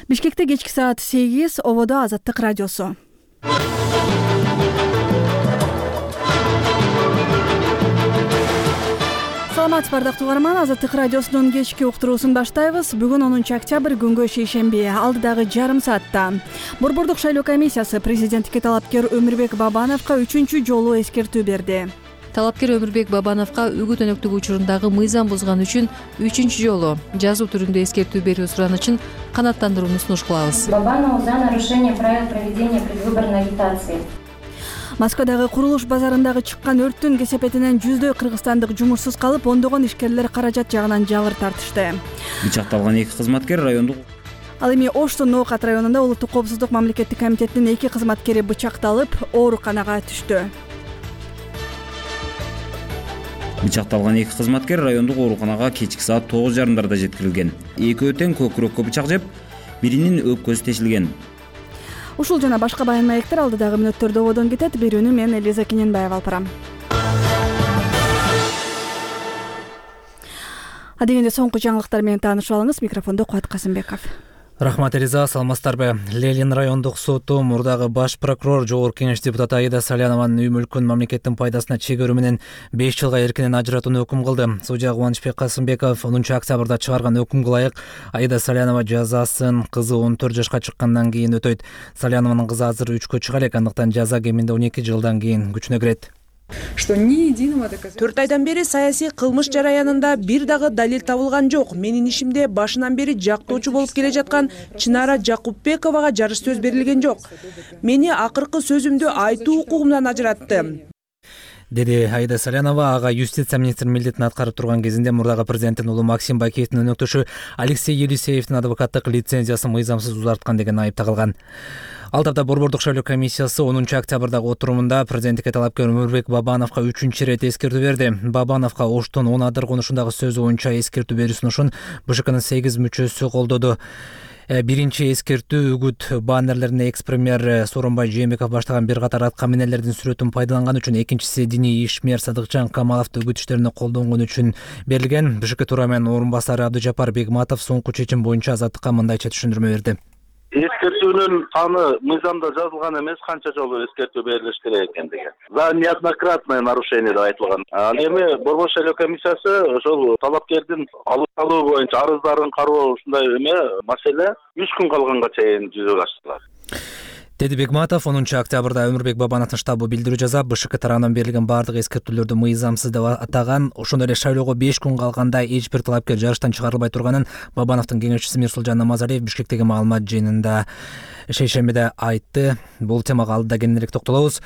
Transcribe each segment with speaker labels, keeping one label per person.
Speaker 1: Бишкекте кечки саат 8, Ободо Азаттык радиосу. Саламатсызбы бардык угарман, Азаттык радиосунун кечки уктуруусун баштайбыз. Бүгүн 10 октябрь күнгө шейшемби. Алдыдагы жарым саатта Борбордук шайлоо комиссиясы президенттикке талапкер Өмүрбек Бабановго 3-чү жолу эскертүү берди.
Speaker 2: Талапкер Өмүрбек Бабановго үгүт өнөктүк учурундагы мыйзам бузган үчүн 3-чү жолу жазуу түрүндө эскертүү берүү суранычын канааттандырууну сунуш кылабыз.
Speaker 3: Бабанову за нарушение правил проведения предвыборной агитации.
Speaker 1: Москвадагы курулуш базарындагы чыккан өрттүн кесепетинен жүздөй кыргызстандык жумушсуз калып, ондогон ишкерлер каражат жагынан жабыр тартышты.
Speaker 4: Бычакталган 2 кызматкер райондук.
Speaker 1: Ал эми Оштун Ноокат районунда Улуттук коопсуздук мамлекеттик комитетинин 2 кызматкери бычакталып, ооруканага түштү.
Speaker 4: Бычакталган 2 кызматкер райондук ооруканага кечки саат 9:30 жеткирилген. Экөө тең көкүрөккө бычак жеп, биринин өпкөсү тешилген.
Speaker 1: Ушул жана башка баян маектер алдыдагы мүнөттөрдө ободон кетет. Берүүнү мен Элиза Кененбаева алып барам. Адегенде соңку жаңылыктар менен таанышып алыңыз. Микрофондо Кубат Касымбеков.
Speaker 5: Рахмат Элиза, саламатсыздарбы? Ленин райондук соту мурдагы баш прокурор, жогорку кеңеш депутаты Аида Салянованын үй мүлкүн мамлекеттин пайдасына чегөрүү менен 5 жылга эркинен ажыратууну өкүм кылды. Судья Кубанычбек Касымбеков 10 октябрда чыгарган өкүмгө ылайык Аида Салянова жазасын кызы 14 жашка чыккандан кийин өтөйт. Салянованын кызы азыр 3кө чыга элек, андыктан жаза кеминде 12 жылдан кийин күчүнө кирет.
Speaker 6: 4 айдан бери саясий кылмыш жараянында бир дагы далил табылган жок. Менин ишимде башынан бери жактоочу болуп келе жаткан Чынара Жакупбековага жарыш сөз берилген жок. Мени акыркы сөзүмдү айтуу укугумдан ажыратты,
Speaker 5: деди Аида Салянова. Ага юстиция министринин милдетин аткарып турган кезинде мурдагы президенттин уулу Максим Бакиевдин өнөктөшү Алексей Елисеевдин адвокаттык лицензиясын мыйзамсыз узарткан деген айып тагылган. Ал тапта Борбордук шайлоо комиссиясы 10 октябрдагы отурумунда президенттикке талапкер Өмүрбек Бабановго 3-чү ирет эскертүү берди. Бабановго Оштун 10 адыр конушундагы сөзү боюнча эскертүү берүү сунушун БШКнын 8 мүчөсү колдоду. Биринчи эскертүү үгүт баннерлерине экс-премьер Сооронбай Жээнбеков баштаган бир катар атка минелердин сүрөтүн пайдаланган үчүн, экинчиси диний ишмер Садыкжан Камаловду үгүт иштерине колдонгон үчүн берилген. БШК төрайымынын орун басары Абдыжапар Бегматов соңку чечим боюнча Азаттыкка мындайча түшүндүрмө берди.
Speaker 7: Эскертүүнүн саны мыйзамда жазылган эмес, канча жолу эскертүү берилиш керек экендиги. За неоднократное нарушение деп айтылган. Ал эми Борбор шайлоо комиссиясы ошол талапкердин алуу боюнча арыздарын кароо ушундай маселе 3 күн калганга чейин жүзөгө ачтылар,
Speaker 5: деди Бегматов. 10 октябрда Өмүрбек Бабановдун штабы билдирүү жасап, БШК тарабынан берилген бардык эскертүүлөрдү мыйзамсыз деп атаган. Ошондой эле шайлоого 5 күн калганда эч бир талапкер жарыштан чыгарылбай турганын Бабановдун кеңешчиси Мирсулжан Намазалиев Бишкектеги маалымат жыйынында шейшембиде айтты. Бул темага алдыда кененирээк токтолобуз.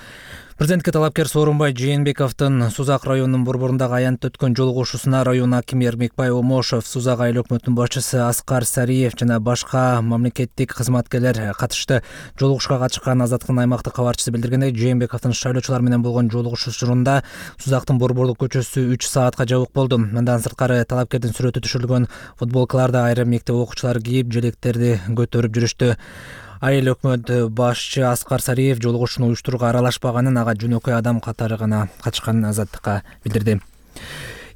Speaker 5: Президентке талапкер Сооронбай Жээнбековдун Сузак районунун борборундагы аянтта өткөн жолугушуусуна район акими Эрмекбай Омошов, Сузак айыл өкмөтүнүн башчысы Аскар Сариев жана башка мамлекеттик кызматкерлер катышты. Жолугушууга катышкан Азаттыктын аймактык кабарчысы билдиргендей, Жээнбековдун шайлоочулар менен болгон жолугушуу учурунда Сузактын борборлук көчөсү 3 саатка жабык болду. Мындан сырткары талапкердин сүрөтү түшүрүлгөн футболкаларды айрым мектеп окуучулары кийип, желектерди көтөрүп жүрүштү. Айыл өкмөт башчы Аскар Сариев жолугушууну уюштурууга аралашпаганын, ага жөнөкөй адам катары гана катышканын Азаттыкка билдирди.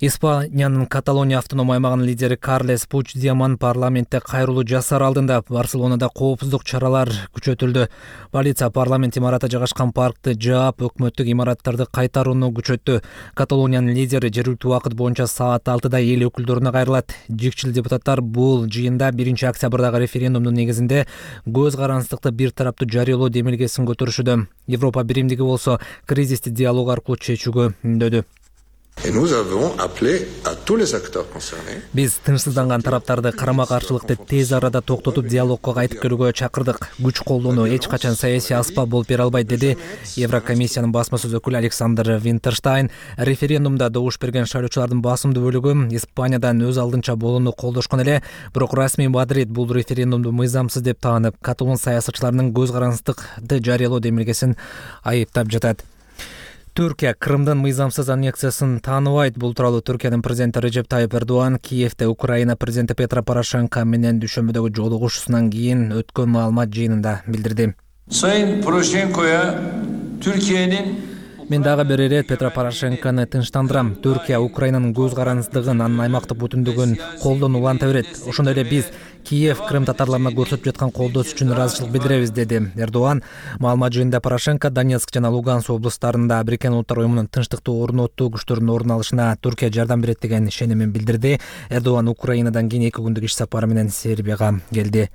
Speaker 5: Испаниянын Каталония автоном аймагынын лидери Карлес Пучдемон парламентте кайрылуу жасар алдында Барселонада коопсуздук чаралар күчөтүлдү. Полиция парламент имараты жайгашкан паркты жаап, өкмөттүк имараттарды кайтарууну күчөттү. Каталониянын лидери жергиликтүү убакыт боюнча саат 6-да эл өкүлдөрүнө кайрылат. Жигчил депутаттар бул жыйында 1 октябрдагы референдумдун негизинде көз карансыздыкты бир тараптуу жарыялоо демилгесин көтөрүшүүдө. Европа биримдиги болсо кризисти диалог аркылуу чечүүгө үндөдү. Биз тынчсызданган тараптарды карама-каршылыкты тез арада токтотуп диалогко кайтып келүүгө чакырдык. Күч колдонуу эч качан саясий аспап болуп бере албайт, деди Еврокомиссиянын басма сөз өкүлү Александр Винтерштайн. Референдумда добуш берген шайлоочулардын басымдуу бөлүгү Испаниядан өз алдынча болууну колдошкон эле, бирок расмий Мадрид бул референдумду мыйзамсыз деп таанып, каталон саясатчыларынын көз карансыздыкты жарыялоо демилгесин айыптап жатат. Түркия Крымдын мыйзамсыз аннексиясын тааныбайт. Бул тууралуу Түркиянын президенти Режеп Тайып Эрдоган Киевде Украина президенти Петро Порошенко менен дүйшөмбүдөгү жолугушуусунан кийин өткөн маалымат жыйынында билдирди.
Speaker 8: Sayın Poroshenko'ya Türkiye'nin
Speaker 5: Мен дагы бир ирет Петро Порошенкону тынчтандырам. Түркия Украинанын көз карансыздыгын, анын аймактык бүтүндүгүн колдон уланта берет. Ошондой эле биз Киев Крым татарларына көрсөтүп жаткан колдоосу үчүн ыраазычылык билдиребиз, деди Эрдоган. Маалымат жыйынында Порошенко Донецк жана Луганск облустарында Бириккен Улуттар уюмунун тынчтыкты орнотуу күчтөрүнүн ордун алышына Түркия жардам берет деген ишенимин билдирди. Эрдоган Украинадан кийин 2 күндүк иш сапары менен Сербияга келди.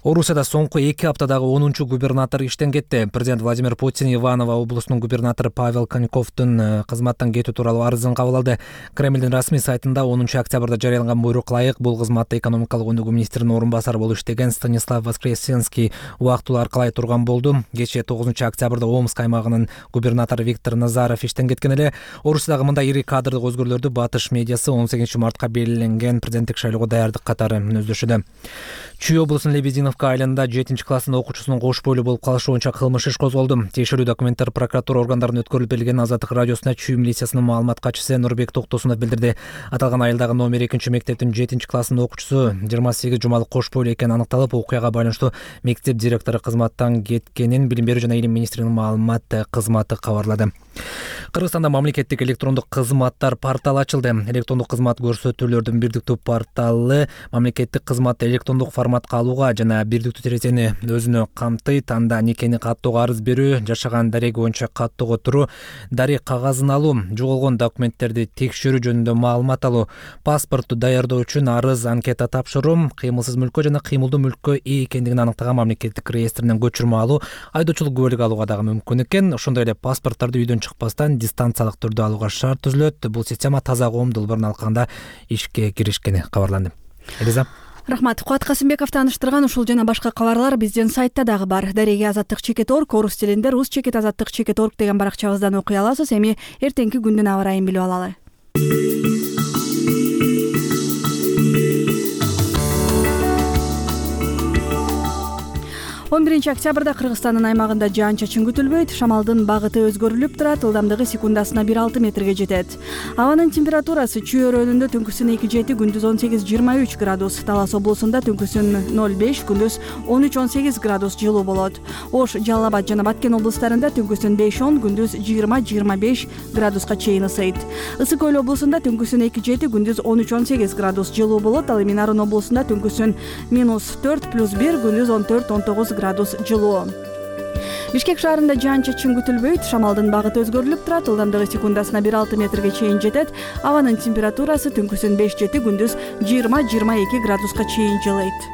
Speaker 5: Орусияда соңку 2 аптадагы 10-чу губернатор иштен кетти. Президент Владимир Путин Иваново облусунун губернатору Павел Коньковдун кызматтан кетүү тууралуу арызын кабыл алды. Кремлдин расмий сайтында 10 октябрда жарыяланган буйрук ылайык бул кызматта экономикалык өнүгүү министринин орун басары болуп иштеген Станислав Воскресенский убактылуу аркалай турган болду. Кечээ 9 октябрда Омск аймагынын губернатору Виктор Назаров иштен кеткен эле. Орусиядагы мындай ири кадрдык өзгөрүүлөрдү Батыш медиасы 18 мартка белгиленген президенттик шайлоого даярдык катары мүнөздөшүүдө. Чүй облусунун Лебединовка айылында 7-класстын окуучусунун кош бойлуу болуп калышы боюнча кылмыш иш козголду. Тиешелүү документтер прокуратура органдарына өткөрүлүп берилген. Азаттык радиосуна Чүй милициясынын маалымат катчысы Нурбек Токтосунов билдирди. Аталган айылдагы номер 2-мектептин 7-класстын окуучусу 28 жумалык кош бойлуу экени аныкталып, окуяга байланыштуу мектеп директору кызматтан кеткенин Билим берүү жана илим министринин маалымат кызматы кабарлады. Кыргызстанда мамлекеттик электрондук кызматтар порталы ачылды. Электрондук кызмат көрсөтүүлөрдүн бирдиктүү порталы мамлекеттик кызматты электрондук форматка алууга жана бирдиктүү терезени өзүнө камтыйт. Анда никени каттоого, арыз берүү, жашаган дареги боюнча каттоого туруу, дарек кагазын алуу, жоголгон документтерди текшерүү жөнүндө маалымат алуу, паспортту даярдоо үчүн арыз, анкета тапшыруу, кыймылсыз мүлккө жана кыймылдуу мүлккө ээ экендигин аныктаган мамлекеттик реестринен көчүрмө алуу, айдоочулук күбөлүк алууга дагы мүмкүн экен. Ошондой эле паспорттарды үйдөн чыкпастан дистанциялык түрдө алууга шарт түзүлөт. Бул система таза коом долбоорун алканда ишке киришкени кабарланды. Элиза.
Speaker 1: Рахмат. Куат Касымбековду тааныштырган ушул жана башка кабарлар биздин сайтта дагы бар. Дареги Азаттык.org, орус тилинде rus.azаттык.org деген баракчабыздан окуй аласыз. Эми эртеңки күндүн аба ырайын билип алалы. 11 октябрда Кыргызстандын аймагында жаан-чачын күтүлбөйт. Шамалдын багыты өзгөрүлүп турат. Ылдамдыгы секундасына 1,6 метрге жетет. Абанын температурасы Чүй өрөөнүндө түнкүсүн 2,7, күндүз 18-23 градус. Талас облусунда түнкүсүн 0,5, күндүз 13-18 градус жылуу болот. Ош, Жалал Абад жана Баткен облустарында түнкүсүн 5-10, күндүз 20-25 градуска чейин ысыйт. Ысык Көл облусунда түнкүсүн 2,7, күндүз 13-18 градус жылуу болот. Ал эми Нарын облусунда түнкүсүн -4 + 1, күндүз 14-19 градус жылуу. Бишкек шаарында жаан-чачын күтүлбөйт. Шамалдын багыты өзгөрүлүп турат. Ылдамдыгы секундасына 1,6 метрге чейин жетет. Абанын температурасы түнкүсүн 5-7, күндүз 20-22 градуска чейин жылыйт.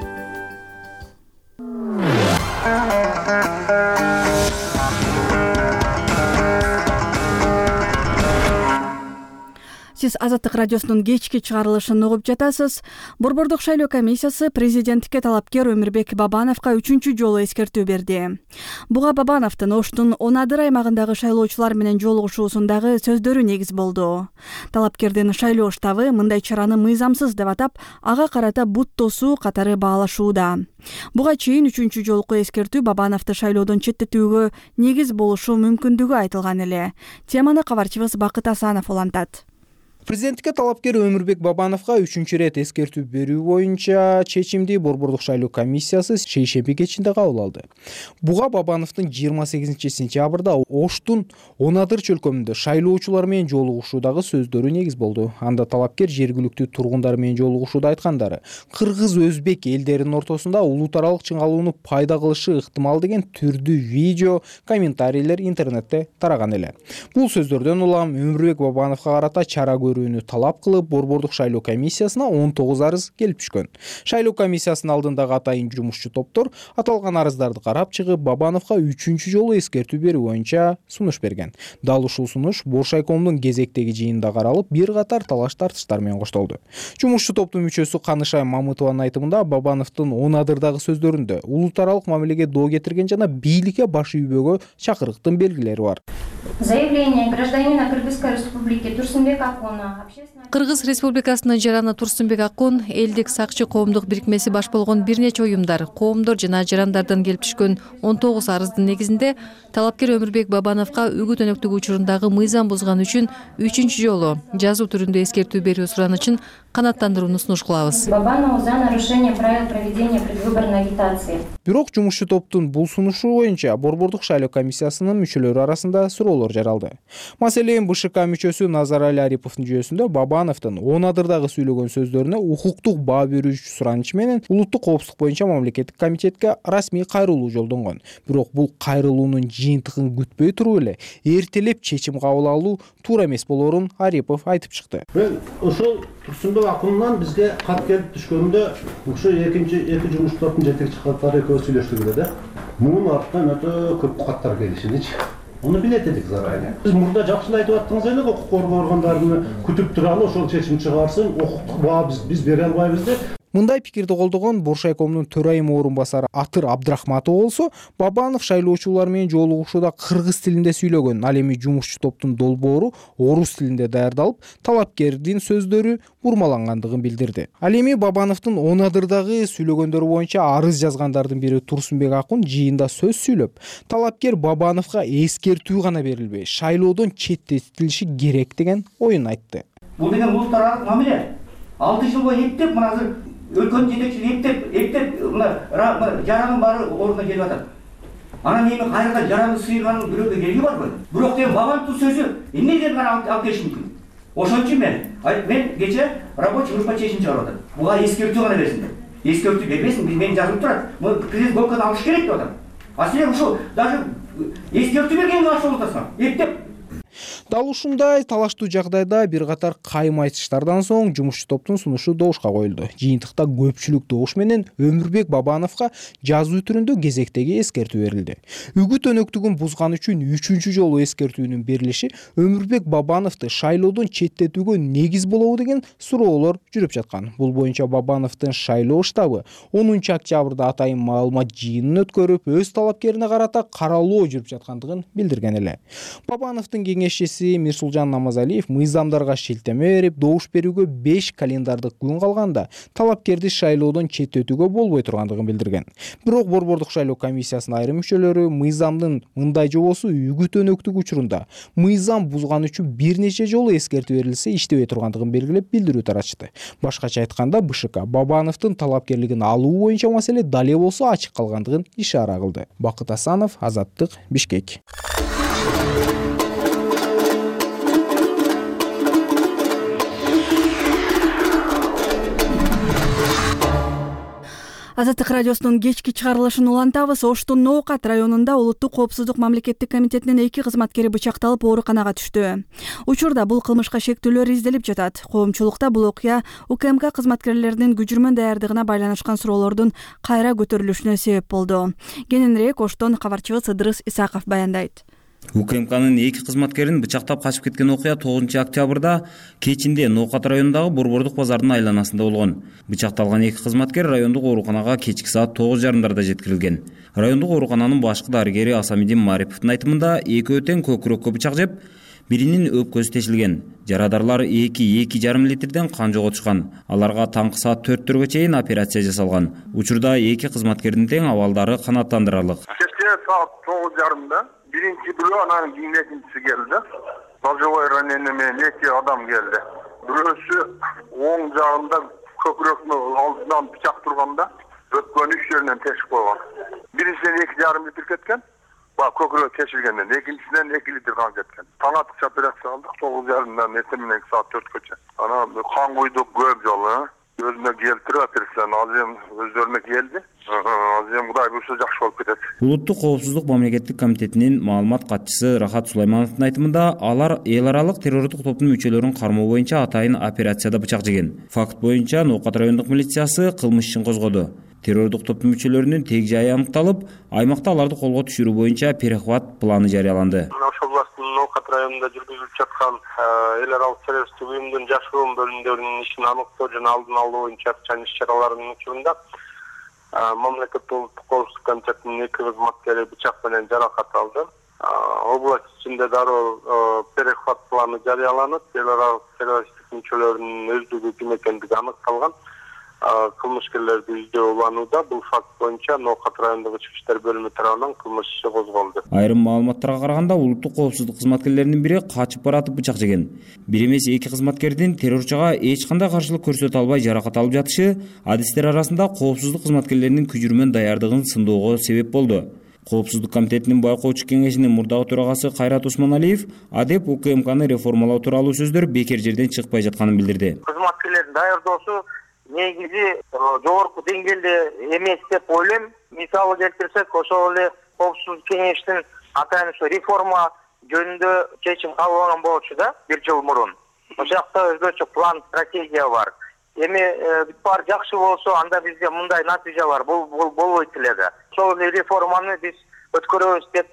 Speaker 1: Сиз Азаттык радиосунун кечки чыгарылышын угуп жатасыз. Борбордук шайлоо комиссиясы президенттикке талапкер Өмүрбек Бабановго 3-чү жолу эскертүү берди. Буга Бабановдун Оштун Онадыр аймагындагы шайлоочулар менен жолугушуусундагы сөздөрү негиз болду. Талапкердин шайлоо штабы мындай чараны мыйзамсыз деп атап, ага карата бут тосуу катары баалашууда. Буга чейин 3-чү жолку эскертүү Бабановду шайлоодон четтетүүгө негиз болушу мүмкүндүгү айтылган эле. Теманы кабарчыбыз Бакыт Асанов улантат.
Speaker 9: Президенттикке талапкер Өмүрбек Бабановго 3-чү рет эскертүү берүү боюнча чечимди Борбордук шайлоо комиссиясы шейшемби кечинде кабыл алды. Буга Бабановдун 28 сентябрда Оштун Онадыр чөлкөмүндө шайлоочулар менен жолугушуудагы сөздөрү негиз болду. Анда талапкер жергиликтүү тургундар менен жолугушууда айткандары кыргыз-өзбек элдеринин ортосунда улут аралык чыңалууну пайда кылышы ыктымал деген түрдүү видео, комментарийлер интернетте тараган эле. Бул сөздөрдөн улам Өмүрбек Бабановго карата чара талап кылып, Борбордук шайлоо комиссиясына 19 арыз келип түшкөн. Шайлоо комиссиясынын алдындагы атайын жумушчу топтор аталган арыздарды карап чыгып, Бабановго 3-чү жолу эскертүү берүү боюнча сунуш берген. Дал ушул сунуш Боршайкомдун кезектеги жыйынында каралып, бир катар талаш-тартыштар менен коштолду. Жумушчу топтун мүчөсү Канышай Мамытованын айтымында Бабановдун Онадырдагы сөздөрүндө улут аралык мамилеге доо кетирген жана бийликке баш ийбөөгө чакырыктын белгилери бар.
Speaker 3: Заявление гражданина Кыргызской республики Турсунбек Акуна.
Speaker 2: Кыргыз Республикасынын жараны Турсунбек Акун элдик сакчы коомдук бирикмеси баш болгон бир нече уюмдар, коомдор жана жарандардан келип түшкөн 19 арыздын негизинде талапкер Өмүрбек Бабановго үгүт өнөктүк учурундагы мыйзам бузган үчүн 3-чү жолу жазуу түрүндө эскертүү берүү суранычын канааттандырууну сунуш кылабыз.
Speaker 3: Бабанову за нарушение правил проведения предвыборной агитации.
Speaker 9: Бирок жумушчу топтун бул сунушу боюнча Борбордук шайлоо комиссиясынын мүчөлөрү арасында суроолор жаралды. Маселен, БШК мүчөсү Назарали Ариповдун жүйөсүндө Бабановдун 10 адырдагы сүйлөгөн сөздөрүнө укуктук баа берүүчү сураныч менен улуттук коопсуздук боюнча мамлекеттик комитетке расмий кайрылуу жолдонгон. Бирок бул кайрылуунун жыйынтыгын күтпөй туруп эле эртелеп чечим кабыл алуу туура эмес болоорун Арипов айтып чыкты.
Speaker 10: Мен ошол Турсунбек акындан бизге кат келип түшкөндө ошо эки жумуш топтун жетекчи катары экөө сүйлөштүк эле да. Мунун артынан өтө көп каттар келишиничи. Onu билет эдик зарайы. Биз мурда жакшылап айтып аттыңыз эле, укук коргоо органдарын күтүп туралы, ошол чечим чыгарсын, укуктук баа биз бере албайбыз деп.
Speaker 9: Мындай пикирди колдогон Боршайкомдун төрайым орун басары Атыр Абдрахматов болсо, Бабанов шайлоочулар менен жолугушууда кыргыз тилинде сүйлөгөн, ал эми жумушчу топтун долбоору орус тилинде даярдалып, талапкердин сөздөрү бурмалангандыгын билдирди. Ал эми Бабановдун 10 адырдагы сүйлөгөндөрү боюнча арыз жазгандардын бири Турсунбек Акун жыйында сөз сүйлөп, талапкер Бабановго эскертүү гана берилбей, шайлоодон четтетилиши керек деген оюн айтты.
Speaker 11: Бул деген улуттар аралык мамиле. 6 жыл бою эптеп, мына азыр өлкөнүн жетекчиси эптеп мына жаранын баары ордуна келип атат. Анан эми кайрадан жараны сыйганын бирөөгө кереги барбы? Бирок деген Бабановдун сөзү эмнеден гана алып келиш мүмкүн? Ошон үчүн мен кече рабочий группа чечим чыгарып атам. Буга эскертүү гана берсиндер. Эскертүү бербесин, мен жазылып турат. Президент Голканы алыш керек деп атам. А силер ушул даже эскертүү бергенге каршы болуп атасыңар. Эптеп.
Speaker 9: Дал ушундай талаштуу жагдайда бир катар кайым айтыштардан соң жумушчу топтун сунушу добушка коюлду. Жыйынтыкта көпчүлүк добуш менен Өмүрбек Бабановго жазуу түрүндө кезектеги эскертүү берилди. Үгүт өнөктүгүн бузган үчүн 3-чү жолу эскертүүнүн берилиши Өмүрбек Бабановду шайлоодон четтетүүгө негиз болобу деген суроолор жүрүп жаткан. Бул боюнча Бабановдун шайлоо штабы 10 октябрда атайын маалымат жыйынын өткөрүп, өз талапкерине карата каралоо жүрүп жаткандыгын билдирген эле. Бабановдун кеңешчиси Мирсулжан Намазалиев мыйзамдарга шилтеме берип, добуш берүүгө 5 календардык күн калганда талапкерди шайлоодон четтетүүгө болбой тургандыгын билдирген. Бирок Борбордук шайлоо комиссиясынын айрым мүчөлөрү мыйзамдын мындай жобосу үгүт өнөктүк учурунда мыйзам бузган үчүн бир нече жолу эскертүү берилсе иштебей тургандыгын белгилеп билдирүү таратышты. Башкача айтканда, БШК Бабановдун талапкерлигин алуу боюнча маселе дале болсо ачык калгандыгын ишара кылды. Бакыт Асанов, Азаттык, Бишкек.
Speaker 1: Азаттык радиосунун кечки чыгарылышын улантабыз. Оштун Ноокат районунда улуттук коопсуздук мамлекеттик комитетинин 2 кызматкери бычакталып ооруканага түштү. Учурда бул кылмышка шектүүлөр изделип жатат. Коомчулукта бул окуя УКМК кызматкерлеринин күжүрмөн даярдыгына байланышкан суроолордун кайра көтөрүлүшүнө себеп болду. Кененирээк Оштон кабарчыбыз Ыдырыс Исаков баяндайт.
Speaker 4: УКМКнын 2 кызматкерин бычактап качып кеткен окуя 9 октябрда кечинде Ноокат районундагы Борбордук базарынын айланасында болгон. Бычакталган 2 кызматкер райондук ооруканага кечки саат 9:30 жеткирилген. Райондук оорукананын башкы дарыгери Асамидин Мариповдун айтымында экөө тең көкүрөккө бычак жеп, биринин өпкөсү тешилген. Жарадарлар 2,5 литрден кан жоготушкан. Аларга таңкы саат 4-төргө чейин операция жасалган. Учурда 2 кызматкердин тең абалдары канааттандырарлык.
Speaker 12: Кечке саат 9:30 биринчи бирөө, анан кийин экинчиси келди. Ножевой ранение менен 2 адам келди. Бирөөсү оң жагында көкүрөктүн алдынан бычак турганда өпкөнүн 3 жеринен тешип койгон. Биринчиден 2,5 литр кеткен. Көкүрөк тешилгенден, экинчисинен 2 литр кан кеткен. Таң атыкча операция кылдык 9:30-дан эртең менен саат 4-кө. Анан кан куйдук көп жолу. Өзүнө келтирип операцияны азыр өздөрүнө келди. Азыр Кудай буйрса жакшы болуп кетет.
Speaker 4: Улуттук коопсуздук мамлекеттик комитетинин маалымат катчысы Рахат Сулаймановдун айтымында, алар эл аралык террордук топтун мүчөлөрүн кармоо боюнча атайын операцияда бычак жеген. Факт боюнча Ноокат райондук милициясы кылмыш ишин козгоду. Террордук топтун мүчөлөрүнүн тег жайы аныкталып, аймакта аларды колго түшүрүү боюнча перехват планы жарыяланды.
Speaker 12: Ошол областтын Ноокат районунда жүргүзүлүп жаткан эл аралык террористтик уюмдун жашыруун бөлүмдөрүнүн ишин аныктоо жана алдын алуу боюнча иш-чараларынын учурунда мамлекеттик улуттук коопсуздук комитетинин 2 кызматкери бычак менен жаракат алды. Область ичинде дароо перехват планы жарыяланып, эл аралык террористтик мүчөлөрүнүн өздүгү ким экендиги аныкталган. кылмышкерлерди издөө уланууда. Бул факт боюнча Ноокат райондук ички иштер бөлүмү тарабынан кылмыш иши козголду.
Speaker 4: Айрым маалыматтарга караганда улуттук коопсуздук кызматкерлеринин бири качып баратып бычак жеген. Бир эмес эки кызматкердин террорчуга эч кандай каршылык көрсөтө албай жаракат алып жатышы адистер арасында коопсуздук кызматкерлеринин күжүрмөн даярдыгын сындоого себеп болду. Коопсуздук комитетинин байкоочу кеңешинин мурдагы төрагасы Кайрат Усманалиев АДЕП УКМКны реформалоо тууралуу сөздөр бекер жерден чыкпай жатканын билдирди.
Speaker 13: Кызматкерлердин даярдоосу негизи жогорку деңгээлде эмес деп ойлойм. Мисалы келтирсек, ошол эле коопсуздук кеңештин атайын ушу реформа жөнүндө чечим кабыл болчу да 1 жыл мурун. Ошол жакта өзгөчө план, стратегия бар. Эми бүт баары жакшы болсо, анда бизде мындай натыйжа бар. Бул болбойт эле да. Ошол реформаны биз өткөрөбүз деп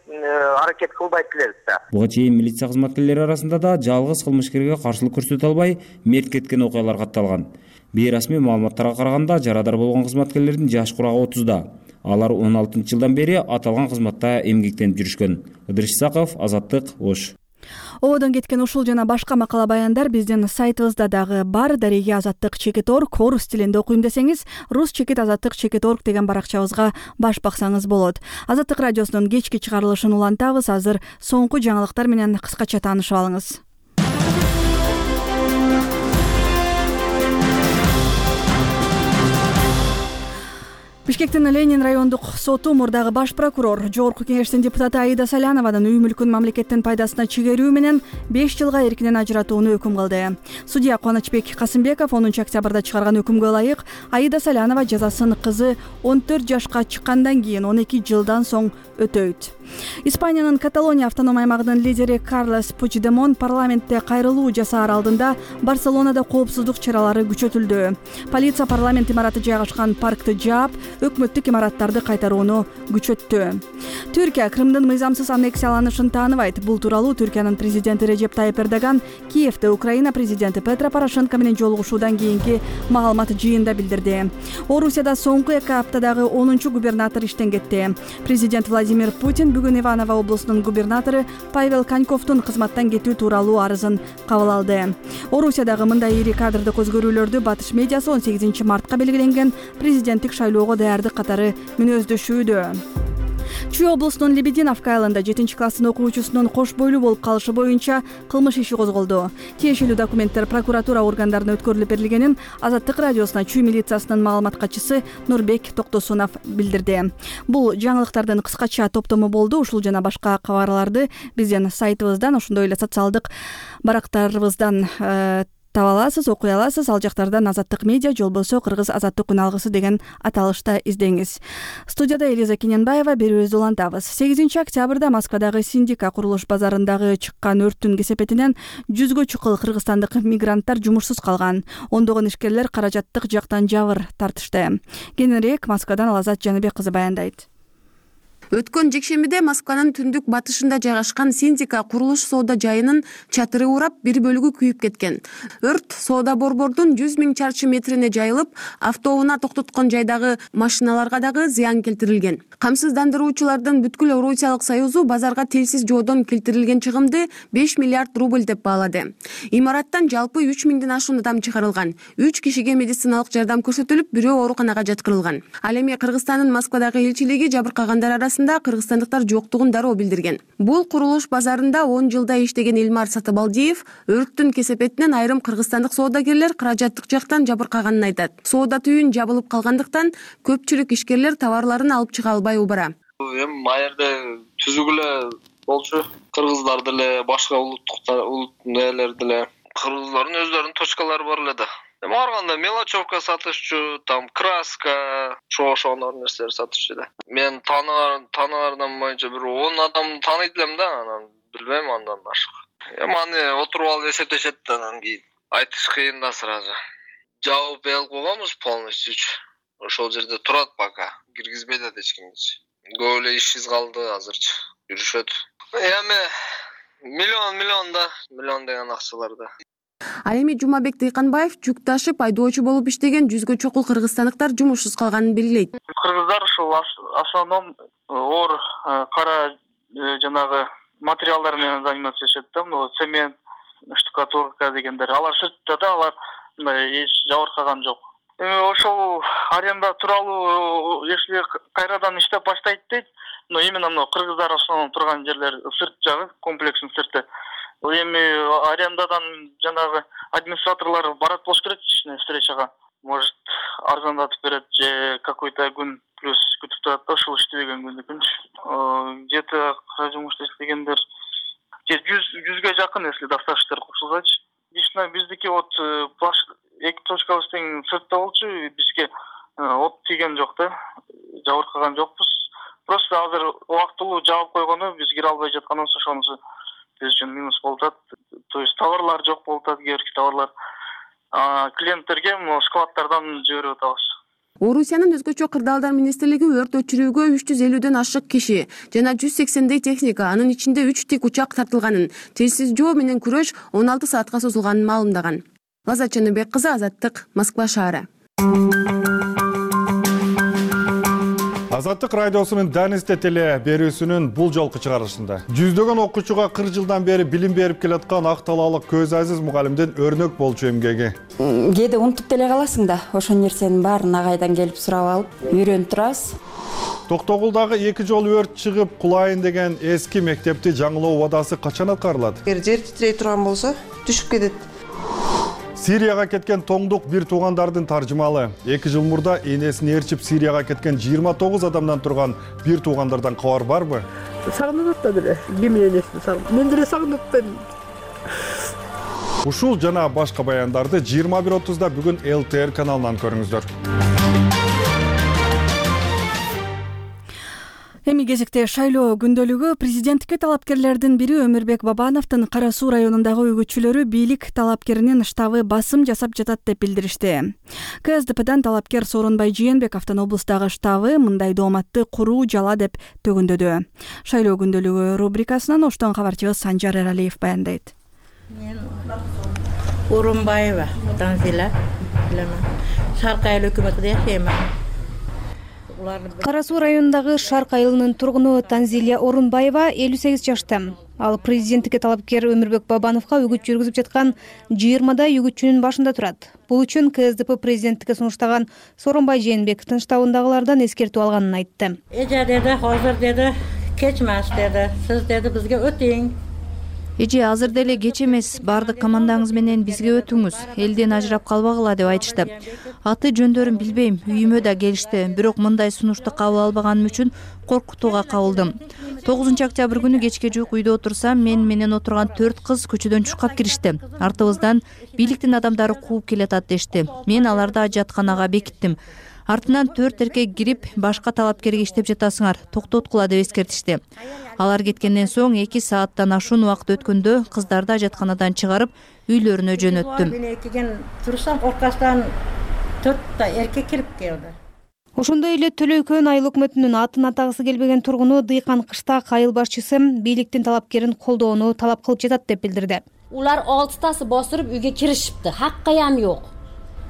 Speaker 13: аракет кылбайт элебиз да.
Speaker 4: Буга чейин милиция кызматкерлери арасында да жалгыз кылмышкерге каршылык көрсөтө албай мерт кеткен окуялар катталган. Бейрасмий маалыматтарга караганда жарадар болгон кызматкерлердин жаш курагы 30да. Алар 16-жылдан бери аталган кызматта эмгектенип жүрүшкөн. Ыдырыш Исаков, Азаттык, Ош.
Speaker 1: Ободон кеткен ушул жана башка макала баяндар биздин сайтыбызда дагы бар. Дареги Азаттык.org орус тилинде окуйм десеңиз, rus.azattyk.org деген баракчабызга баш баксаңыз болот. Азаттык радиосунун кечки чыгарылышын улантабыз. Азыр соңку жаңылыктар менен кыскача таанышып алыңыз. Бишкектин Ленин райондук соту мурдагы баш прокурор, жогорку кеңештин депутаты Аида Салянованын үй мүлкүн мамлекеттин пайдасына чегерүү менен 5 жылга эркинен ажыратууну өкүм кылды. Судья Кубанычбек Касымбеков 10 октябрда чыгарган өкүмгө ылайык Аида Салянова жазасын кызы 14 жашка чыккандан кийин 12 жылдан соң өтөйт. Испаниянын Каталония автоном аймагынын лидери Карлес Пучдемон парламентте кайрылуу жасаар алдында Барселонада коопсуздук чаралары күчөтүлдү. Полиция парламент имараты жайгашкан паркты жаап, өкмөттүк имараттарды кайтарууну күчөттү. Түркия Крымдын мыйзамсыз аннексияланышын тааныбайт. Бул тууралуу Түркиянын президенти Режеп Тайып Эрдоган Киевде Украина президенти Петро Порошенко менен жолугушуудан кийинки маалымат жыйында билдирди. Орусияда соңку 2 аптадагы 10-чу губернатор иштен кетти. Президент Владимир Путин бүгүн Иваново облусунун губернатору Павел Коньковдун кызматтан кетүү тууралуу арызын кабыл алды. Орусиядагы мындай ири кадрдык өзгөрүүлөрдү батыш медиасы 18 мартка белгиленген президенттик шайлоого даярдык катары мүнөздөшүүдө. Чүй облусунун Лебединовка айылында 7-класстын окуучусунун кош бойлуу болуп калышы боюнча кылмыш иши козголду. Тиешелүү документтер прокуратура органдарына өткөрүлүп берилгенин Азаттык радиосуна Чүй милициясынын маалымат катчысы Нурбек Токтосунов билдирди. Бул жаңылыктардын кыскача топтому болду. Ушул жана башка кабарларды биздин сайтыбыздан, ошондой эле социалдык барактарыбыздан таба аласыз, окуй аласыз. Ал жактардан Азаттык медиа, же болбосо Кыргыз азаттык күн алгысы деген аталышта издеңиз. Студияда Элиза Кененбаева, берүүбүздү улантабыз. 8 октябрда Москвадагы Синдика курулуш базарындагы чыккан өрттүн кесепетинен 100гө чукул кыргызстандык мигранттар жумушсуз калган. Ондогон ишкерлер каражаттык жактан жабыр тартышты. Кененирээк Москвадан Алазат Жаныбек кызы баяндайт.
Speaker 14: Өткөн жекшембиде Москванын түндүк батышында жайгашкан Синдика курулуш соода жайынын чатыры урап, бир бөлүгү күйүп кеткен. Өрт соода борбордун 100 000 чарчы метрине жайылып, автоунаа токтоткон жайдагы машиналарга дагы зыян келтирилген. Камсыздандыруучулардын бүткүл Орусиялык союзу базарга телсиз жоодон келтирилген чыгымды 5 миллиард рубль деп баалады. Имараттан жалпы 3 000ден ашуун адам чыгарылган. 3 кишиге медициналык жардам көрсөтүлүп, бирөө ооруканага жаткырылган. Ал эми Кыргызстандын Москвадагы элчилиги жабыркагандар арасында кыргызстандыктар жоктугун дароо билдирген. Бул курулуш базарында 10 жылда иштеген Илмар Сатыбалдиев өрттүн кесепетинен айрым кыргызстандык соодагерлер каражаттык жактан жабыркаганын айтат. Соода түйүн жабылып калгандыктан көпчүлүк ишкерлер товарларын алып чыга албай убара.
Speaker 15: Эми айерде түзүк эле болчу. Кыргыздар деле, башка улуттун элери деле. Кыргыздардын өздөрүнүн точкалары бар эле да. Барганда мелочевка сатышчу, там краска, ошондор нерселер сатышчу да. Мен тааныгардан боюнча бир 10 адам тааныйт элем да, анан билбейм андан башка. Эми аны отуруп алып эсептешет да, анан кийин айтыш кыйын да сразу. Жабып алып койгонбуз полностью. Ошол жерде турат пока, киргизбейт да эч кимди. Көп эле ишсиз калды азырчы, жүрүшөт. Эми миллион деген акчаларда.
Speaker 14: Ал эми Жумабек Дыйканбаев жүк ташып айдоочу болуп иштеген 100гө чукул кыргызстандыктар жумушсуз калганын белгилейт.
Speaker 16: Кыргыздар ушул основном оор кара жанагы материалдар менен заниматься да, цемент, штукатурка дегендер. Алар сыртта да, алар эч жабыркаган жок. ошол аренда тууралуу если кайрадан иштеп баштайт дейт, но именно мына кыргыздар ошол турган жерлер сырт жагы, комплекстин сырты. Эми арендадан жанагы администраторлор барат болуш керек встречага. Может, арзандатып берет же какой-то күн плюс күтүп турат да, ушул иштебеген күндүкүнчү. Где-то кара жумушта иштегендер 100ге жакын, если достаточно кошулсачы. Лично биздики вот эки точкабыз тең сыртта болчу, бизге от тийген жок да, жабыркаган жокпуз. Просто азыр убактылуу жаап койгону биз кире албай жатканыбыз ошонусу биз үчүн минус болуп атат. То есть товарлар жок болуп атат, кээ бирки товарлар. Клиенттерге складтардан жиберип атабыз.
Speaker 14: Орусиянын өзгөчө кырдаалдар министрлиги өрт өчүрүүгө 350дөн ашык киши жана 180дей техника, анын ичинде 3 тик учак тартылганын, телсиз жоо менен күрөш 16 саатка созулганын маалымдаган. Лаззат Жаныбек кызы, Азаттык, Москва шаары.
Speaker 17: Азаттык радиосунун Данисте теле берүүсүнүн бул жолку чыгарылышында жүздөгөн окуучуга 40 жылдан бери билим берип келаткан ак талаалык Көз Азиз мугалимдин өрнөк болчу эмгеги.
Speaker 18: Кээде унутуп деле каласың да, ошол нерсенин баарын агайдан келип сурап алып, үйрөнүп турасыз.
Speaker 17: Токтогулдагы 2 жол өрт чыгып кулайын деген эски мектепти жаңылоо убадасы качан аткарылат?
Speaker 19: Эгер жер титрей турган болсо, түшүп кетет.
Speaker 17: Сирияга кеткен тоңдук бир туугандардын таржымалы. 2 жыл мурда энесин ээрчип Сирияга кеткен 29 адамдан турган бир туугандардан кабар барбы?
Speaker 19: Сагынып атат эле. Ким энесин сагынып. Мен деле сагынып атам.
Speaker 17: Ушул жана башка баяндарды 21:30да бүгүн ЛТР каналынан көрүңүздөр.
Speaker 1: Эми кезекте шайлоо күндөлүгү. Президенттикке талапкерлердин бири Өмүрбек Бабановдун Кара Суу районундагы үгүтчүлөрү бийлик талапкеринин штабы басым жасап жатат деп билдиришти. КСДПдан талапкер Сооронбай Жээнбековдун облустагы штабы мындай дооматты куруу жала деп төгүндөдү. Шайлоо күндөлүгү рубрикасынан оштон кабарчыбыз Санжар Эралиев баяндайт.
Speaker 20: Мен Орунбаева Танзила, Шарк айыл өкмөтүндө жашайм.
Speaker 21: Кара Суу районундагы Шарк айылынын тургуну Танзилия Орунбаева 58 жашта. Ал президенттикке талапкер Өмүрбек Бабановго үгүт жүргүзүп жаткан 20дай үгүтчүнүн башында турат. Бул үчүн КСДП президенттикке сунуштаган Сооронбай Жээнбековдун штабындагылардан эскертүү алганын айтты.
Speaker 20: Эже деди, азыр деди, кеч эмес деди. Сиз деди бизге өтүң.
Speaker 2: Эже азыр деле кеч эмес, бардык командаңыз менен бизге өтүңүз. Элден ажырап калбагыла деп айтышты. Аты жөндөрүн билбейм, үйүмө да келишти. Бирок мындай сунушту кабыл албаганым үчүн коркутууга кабылдым. 9 октябрь күнү кечке жуук үйдө отурсам, мен менен отурган 4 кыз көчөдөн чуркап киришти. Артыбыздан бийликтин адамдары кууп келатат дешти. Мен аларды ажатканага бекиттим. Артынан 4 эркек кирип, башка талапкерге иштеп жатасыңар, токтоткула деп эскертишти. Алар кеткенден соң 2 сааттан ашуун убакыт өткөндө кыздарды ажатканадан чыгарып, үйлөрүнө жөнөттүм.
Speaker 20: Мен экиген турсам, оркасынан 4 эркек кирип келди.
Speaker 21: Ошондой эле Төлөйкөн айыл өкмөтүнүн атын атагысы келбеген тургуну Дыйкан Кыштак айыл башчысы бийликтин талапкерин колдоону талап кылып жатат деп билдирди.
Speaker 22: Улар 6тасы басырып үйгө киришипти. Хаккаям жок.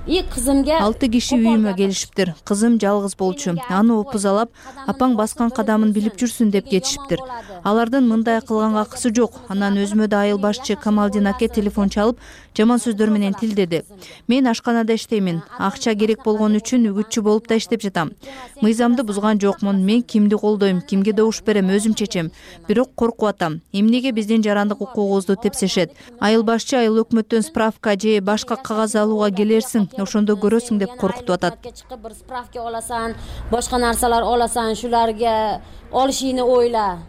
Speaker 22: Кызымга
Speaker 2: 6 киши үйүмө келишиптир. Кызым жалгыз болчу. Аны опузалап, апаң баскан кадамын билип жүрсүн деп кетишиптир. Алардын мындай кылганга акысы жок. Анан өзүмө да айыл башчы Камалдин аке телефон чалып, жаман сөздөр менен тилдеди. Мен ашканада иштеймин. Акча керек болгон үчүн үгүтчү болуп да иштеп жатам. Мыйзамды бузган жокмун. Мен кимди колдойм, кимге добуш берем, өзүм чечем. Бирок коркуп атам. Эмнеге биздин жарандык укугубузду тепсешет? Айыл башчы айыл өкмөттөн справка же башка кагаз алууга келерсиң, ошондо көрөсүң деп коркутуп атат.
Speaker 22: Чыгып бир справка аласың, башка нарсалар аласың, шуларга олушуну ойла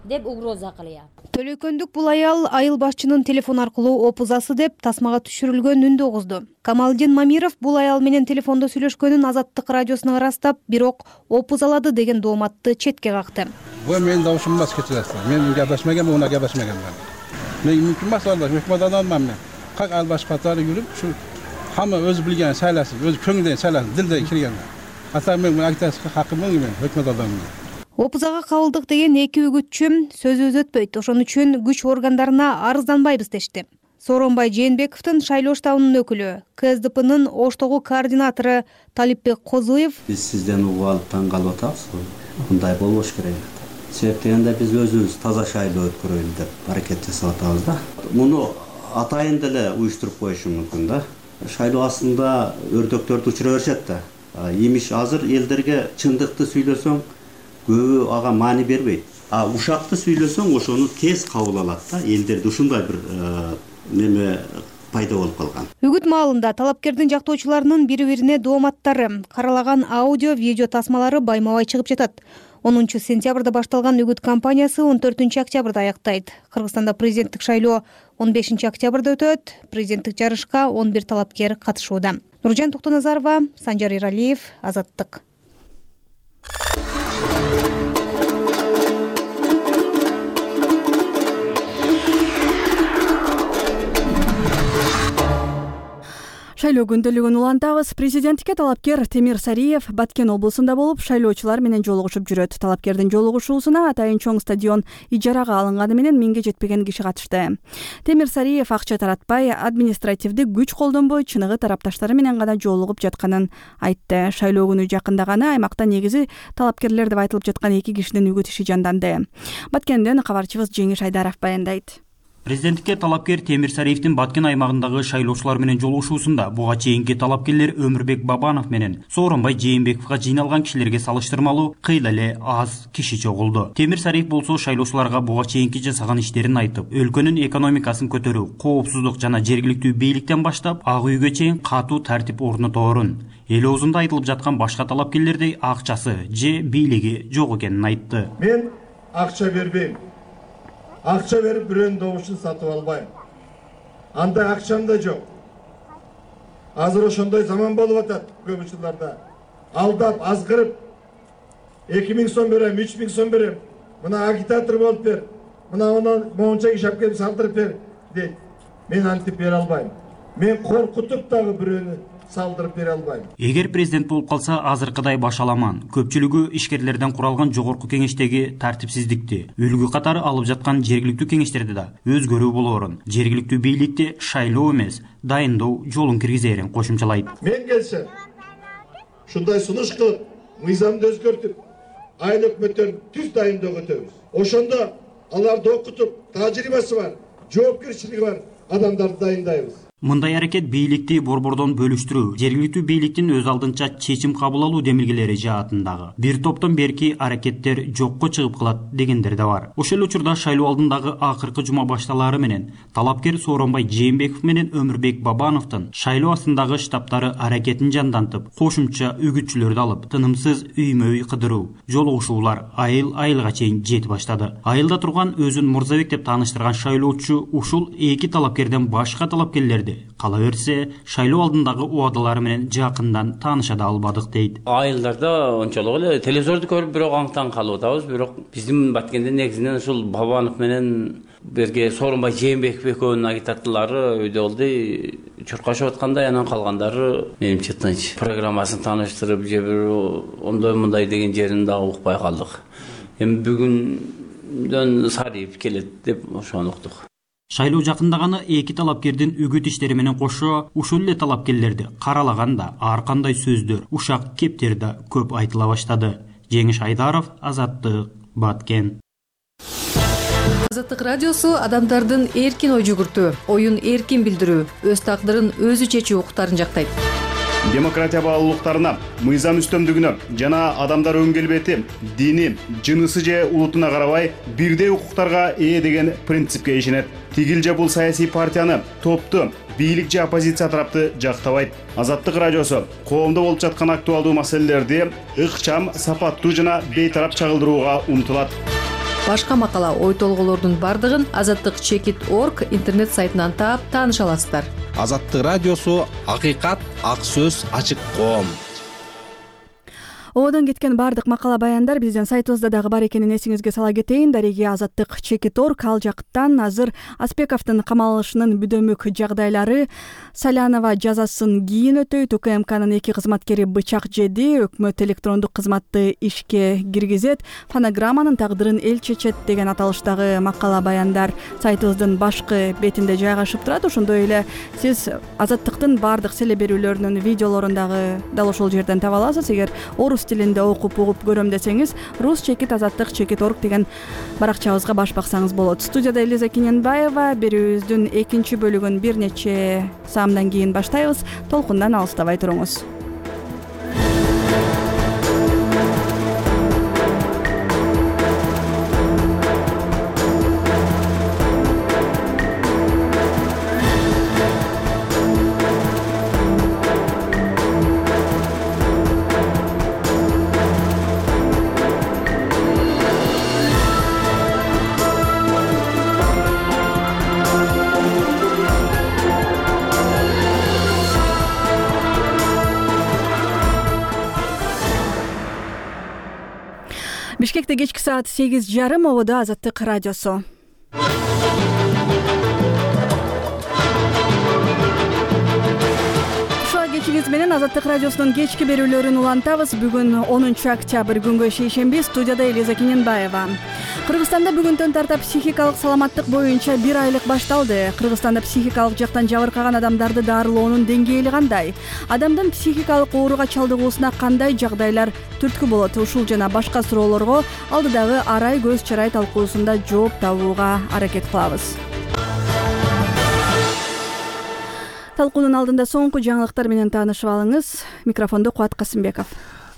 Speaker 22: деп угроза кылыят.
Speaker 21: Төлөйкөндүк бул айыл башчынын телефон аркылуу опузасы деп тасмага түшүрүлгөн үндү угузду. Камалдин Мамиров бул аял менен телефондо сүйлөшкөнүн Азаттык радиосуна ырастап, бирок опузалады деген дооматты четке какты.
Speaker 23: Бул менин добушум эмес кетет. Мен гапешмеген, уна гапешмеген. Мен мүмкүн эмес албаш, өкмөт адаммын мен. Как албаш катары жүрүп, ушу хамма өзү билген сайласын, өзү көңүлдөн сайласын, дилден кирген. Ата мен айтасыз хакымын мен, өкмөт адаммын.
Speaker 21: Опузага кабылдык деген 2 үгүтчү сөзүбүз өтпөйт. Ошон үчүн күч органдарына арызданбайбыз дешти. Сооронбай Жээнбековдун шайлоо штабынын өкүлү, КСДПнын Оштогу координатору Талипбек Козуев:
Speaker 24: Биз сизден угуп алып таң калып атабыз. Мындай болбош керек. Себеп дегенде биз өзүбүз таза шайлоо өткөрөлү деп аракет жасап атабыз да. Муну атайын деле уюштуруп коюшу мүмкүн да. шайлоо астында өртөктөрдү учура беришет да. Имиш азыр элдерге чындыкты сүйлөсөң көбү ага маани бербейт. Ушакты сүйлөсөң ошону тез кабыл алат да. Элдерде ушундай бир неме пайда болуп калган.
Speaker 21: Үгүт маалында талапкердин жактоочуларынын бири-бирине дооматтары, каралаган аудио, видео тасмалары байма-бай чыгып жатат. 10 сентябрда башталган үгүт кампаниясы 14 октябрда аяктайт. Кыргызстанда президенттик шайлоо 15 октябрда өтөт. Президенттик жарышка 11 талапкер катышууда. Нуржан Токтоназарова, Санжар Иралиев, Азаттык.
Speaker 1: Шайлоо күндөлүгүн улантабыз. Президенттикке талапкер Темир Сариев Баткен облусунда болуп, шайлоочулар менен жолугушуп жүрөт. Талапкердин жолугушуусуна атайын чоң стадион ижарага алынганы менен 1000ге жетпеген киши катышты. Темир Сариев акча таратпай, административдик күч колдонбой, чыныгы тарапташтары менен гана жолугуп жатканын айтты. Шайлоо күнү жакындаганы аймакта негизи талапкерлер деп айтылып жаткан 2 кишинин үгүт иши жанданды. Баткенден кабарчыбыз Жеңиш Айдаров баяндайт.
Speaker 5: Президенттикке талапкер Темир Сариевдин Баткен аймагындагы шайлоочулар менен жолугушуусунда буга чейинки талапкерлер Өмүрбек Бабанов менен Сооронбай Жээнбековго жыйналган кишилерге салыштырмалуу кыйла эле аз киши чогулду. Темир Сариев болсо шайлоочуларга буга чейинки жасаган иштерин айтып, өлкөнүн экономикасын көтөрүү, коопсуздук жана жергиликтүү бийликтен баштап ак үйгө чейин катуу тартип орноторун, эл оозунда айтылып жаткан башка талапкерлердей акчасы же бийлиги жок экенин айтты.
Speaker 6: Мен акча бербейм. Акча берип бирөөнүн добушун сатып албайм. Андай акчам да жок. Азыр ошондой заман болуп атат көп учурларда. Алдап, азгырып 2000 сом берем, 3000 сом берем. Мына агитатор болуп бер. Мына моунча кишап келип салдырып бер дейт. Мен антип бере албайм. Мен коркутуп дагы бирөөнү салдырып бере албайм.
Speaker 5: Эгер президент болуп калса, азыркыдай башаламан, көпчүлүгү ишкерлерден куралган жогорку кеңештеги тартипсиздикти, үлгү катары алып жаткан жергиликтүү кеңештерде да өзгөрүү болоорун, жергиликтүү бийликти шайлоо эмес, дайындоо жолун киргизээрин кошумчалайт.
Speaker 6: Мен келсем, ушундай сунуш кылып, мыйзамды өзгөртүп, айыл өкмөттөрүн түз дайындоого өтөбүз. Ошондо аларды окутуп, тажрыйбасы бар, жоопкерчилиги бар адамдарды дайындайбыз.
Speaker 5: Мындай аракет бийликти борбордон бөлүштүрүү, жергиликтүү бийликтин өз алдынча чечим кабыл алуу демилгелери жаатындагы бир топтон берки аракеттер жокко чыгып калат дегендер да бар. Ошол учурда шайлоо алдындагы акыркы жума башталары менен талапкер Сооронбай Жээнбеков менен Өмүрбек Бабановдун шайлоо астындагы штабтары аракетин жандантып, кошумча үгүтчүлөрдү алып, тынымсыз үймө-үй кыдыруу, жолугушуулар айылга чейин жети баштады. Айылда турган өзүн Мурзабек деп тааныштырган шайлоочу ушул эки талапкерден башка талапкерлер кала берсе, шайлоо алдындагы убадалары менен жакындан тааныша да албадык дейт.
Speaker 7: Айылдарда ончолук эле телевизорду көрүп бирок аңтан калып атабыз, бирок биздин Баткенде негизинен ушул Бабанов менен бирге Сооронбай Жээнбеков экөөнүн агитаторлору үйдө болду, чуркашып аткандай, анан калгандары менимче тынч. Программасын тааныштырып, же бир ондой-мындай деген жерин дагы укпай калдык. Эми бүгүндөн Сариев келет деп ошону уктук.
Speaker 5: Шайлоо жакындаганы эки талапкердин үгүт иштери менен кошо ушул эле талапкерлерди каралаганда ар кандай сөздөр, ушак кептер да көп айтыла баштады. Жеңиш Айдаров, Азаттык, Баткен.
Speaker 2: Азаттык радиосу адамдардын эркин ой жүгүртүү, оюн эркин билдирүү, өз тагдырын өзү чечүү укуктарын жактайт.
Speaker 8: Демократия баалуулуктарына, мыйзам үстөмдүгүнө жана адамдар өң келбети, дини, жынысы же улутуна карабай бирдей укуктарга ээ деген принципке ишенет. Тигил же бул саясий партияны, топту, бийлик же оппозиция тарапты жактабайт. Азаттык радиосу коомдо болуп жаткан актуалдуу маселелерди ыкчам, сапаттуу жана бейтарап чагылдырууга умтулат.
Speaker 2: Башка макала, ой толголордун бардыгын azattik.org интернет сайтынан таап тааныша аласыздар.
Speaker 25: Азаттык радиосу акыйкат, ак сөз, ачык коом.
Speaker 1: Одон кеткен бардык макала баяндар биздин сайтыбызда дагы бар экенин эсиңизге сала кетейин. Дареги azattik.org ал жактан азыр Аспековдун камалышынын бүдөмүк жагдайлары, Салянова жазасын кийин өтөйт, УКМКнын 2 кызматкери бычак жеди, өкмөт электрондук кызматты ишке киргизет, фонограмманын тагдырын эл чечет деген аталыштагы макала баяндар сайтыбыздын башкы бетинде жайгашып турат. Ошондой эле сиз Азаттыктын бардык селе берүүлөрүнүн видеолорун дагы дал ошол жерден таба аласыз. Эгер орус тилинде окуп угуп көрөм десеңиз rus-azattik.org деген баракчабызга баш баксаңыз болот. Студияда Элиза Кененбаева. Берүүбүздүн экинчи бөлүгүн бир нече саамдан кийин баштайбыз. Толкундан алыстабай туруңуз. Бишкекте кечки саат 8:30. Ободо Азаттык радиосу. Кечиңиз менен Азаттык радиосунун кечки берүүлөрүн улантабыз. Бүгүн 10 октябрь күнгө шейшемби. Студияда Элиза Кененбаева. Кыргызстанда бүгүндөн тарта психикалык саламаттык боюнча 1 айлык башталды. Кыргызстанда психикалык жактан жабыркаган адамдарды дарылоонун деңгээли кандай? Адамдын психикалык ооруга чалдыгуусуна кандай жагдайлар түрткү болот? Ушул жана башка суроолорго алдыдагы Арай көз чарай талкуусунда жооп табууга аракет кылабыз. Талкуунун алдында соңку жаңылыктар менен таанышып алыңыз. Микрофондо Кубат Касымбеков.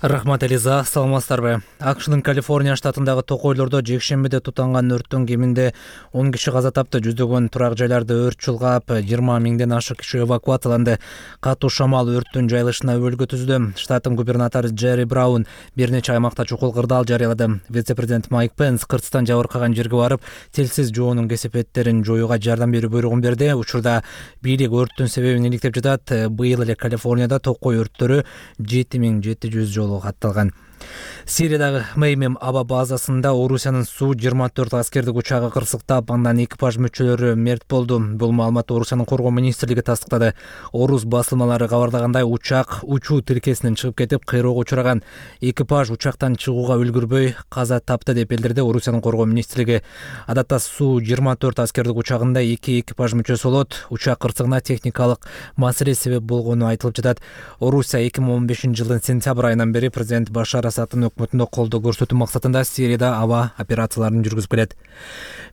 Speaker 3: Рахмат Элиза, саламатсыздарбы? АКШнын Калифорния штатындагы токойлордо жекшембиде тутанган өрттүн кеминде 10 киши каза тапты. Жүздөгөн турак жайларды өрт чулгап, 20 миңден ашык киши эвакуацияланды. Катуу шамал өрттүн жайылышына өбөлгө түздү. Штаттын губернатору Джерри Браун бир нече аймакта чукул кырдаал жарыялады. Вице-президент Майк Пенс кыртыстан жабыркаган жерге барып, телсиз жоонун кесепеттерин жоюуга жардам берүү буйругун берди. Учурда бийлик өрттүн себебин иликтеп жатат. Быйыл эле Калифорнияда токой өрттөрү 7700 жолу катталган. Сириядагы Меймем аба базасында Орусиянын Су-24 аскердик учагы кырсыктап, андан экипаж мүчөлөрү мерт болду. Бул маалыматты Орусиянын коргоо министрлиги тастыктады. Орус басылмалары кабарлагандай, учак учуу тилкесинен чыгып кетип, кыйроого учураган. Экипаж учактан чыгууга үлгүрбөй каза тапты деп билдирди Орусиянын коргоо министрлиги. Адатта Су-24 аскердик учагында 2 экипаж мүчөсү болот. Учак кырсыгына техникалык маселе себеп болгону айтылып жатат. Орусия 2015-жылдын сентябрь айынан бери президент Башар Асадтын өкмөтүндө колдоо көрсөтүү максатында Сирияда аба операцияларын жүргүзүп келет.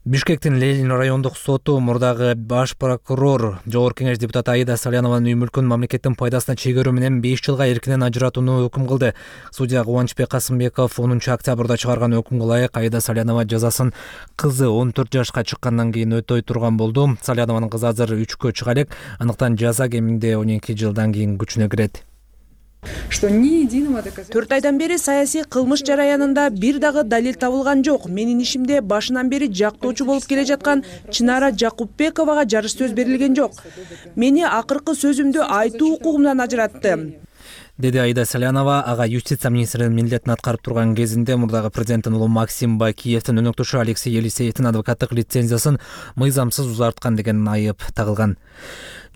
Speaker 3: Бишкектин Ленин райондук соту мурдагы баш прокурор Жогорку кеңеш депутаты Аида Салянованын үй мүлкүн мамлекеттин пайдасына чегерүү менен 5 жылга эркинен ажыратууну өкүм кылды. Судья Кубанычбек Касымбеков 10 октябрда чыгарган өкүмгө ылайык Аида Салянова жазасын кызы 14 жашка чыккандан кийин өтөй турган болду. Салянованын кызы азыр 3кө чыга элек, андыктан жаза кеминде 12 жылдан кийин күчүнө кирет.
Speaker 9: 4 айдан бери саясий кылмыш жараянында бир дагы далил табылган жок. Менин ишимде башынан бери жактоочу болуп келе жаткан Чынара Жакупбековага жарыш сөз берилген жок. Мени акыркы сөзүмдү айтуу укугумдан ажыратты,
Speaker 3: деди Аида Салянова. Ага юстиция министринин милдетин аткарып турган кезинде мурдагы президенттин уулу Максим Бакиевдин өнөктөшү Алексей Елисеевдин адвокаттык лицензиясын мыйзамсыз узарткан деген айып тагылган.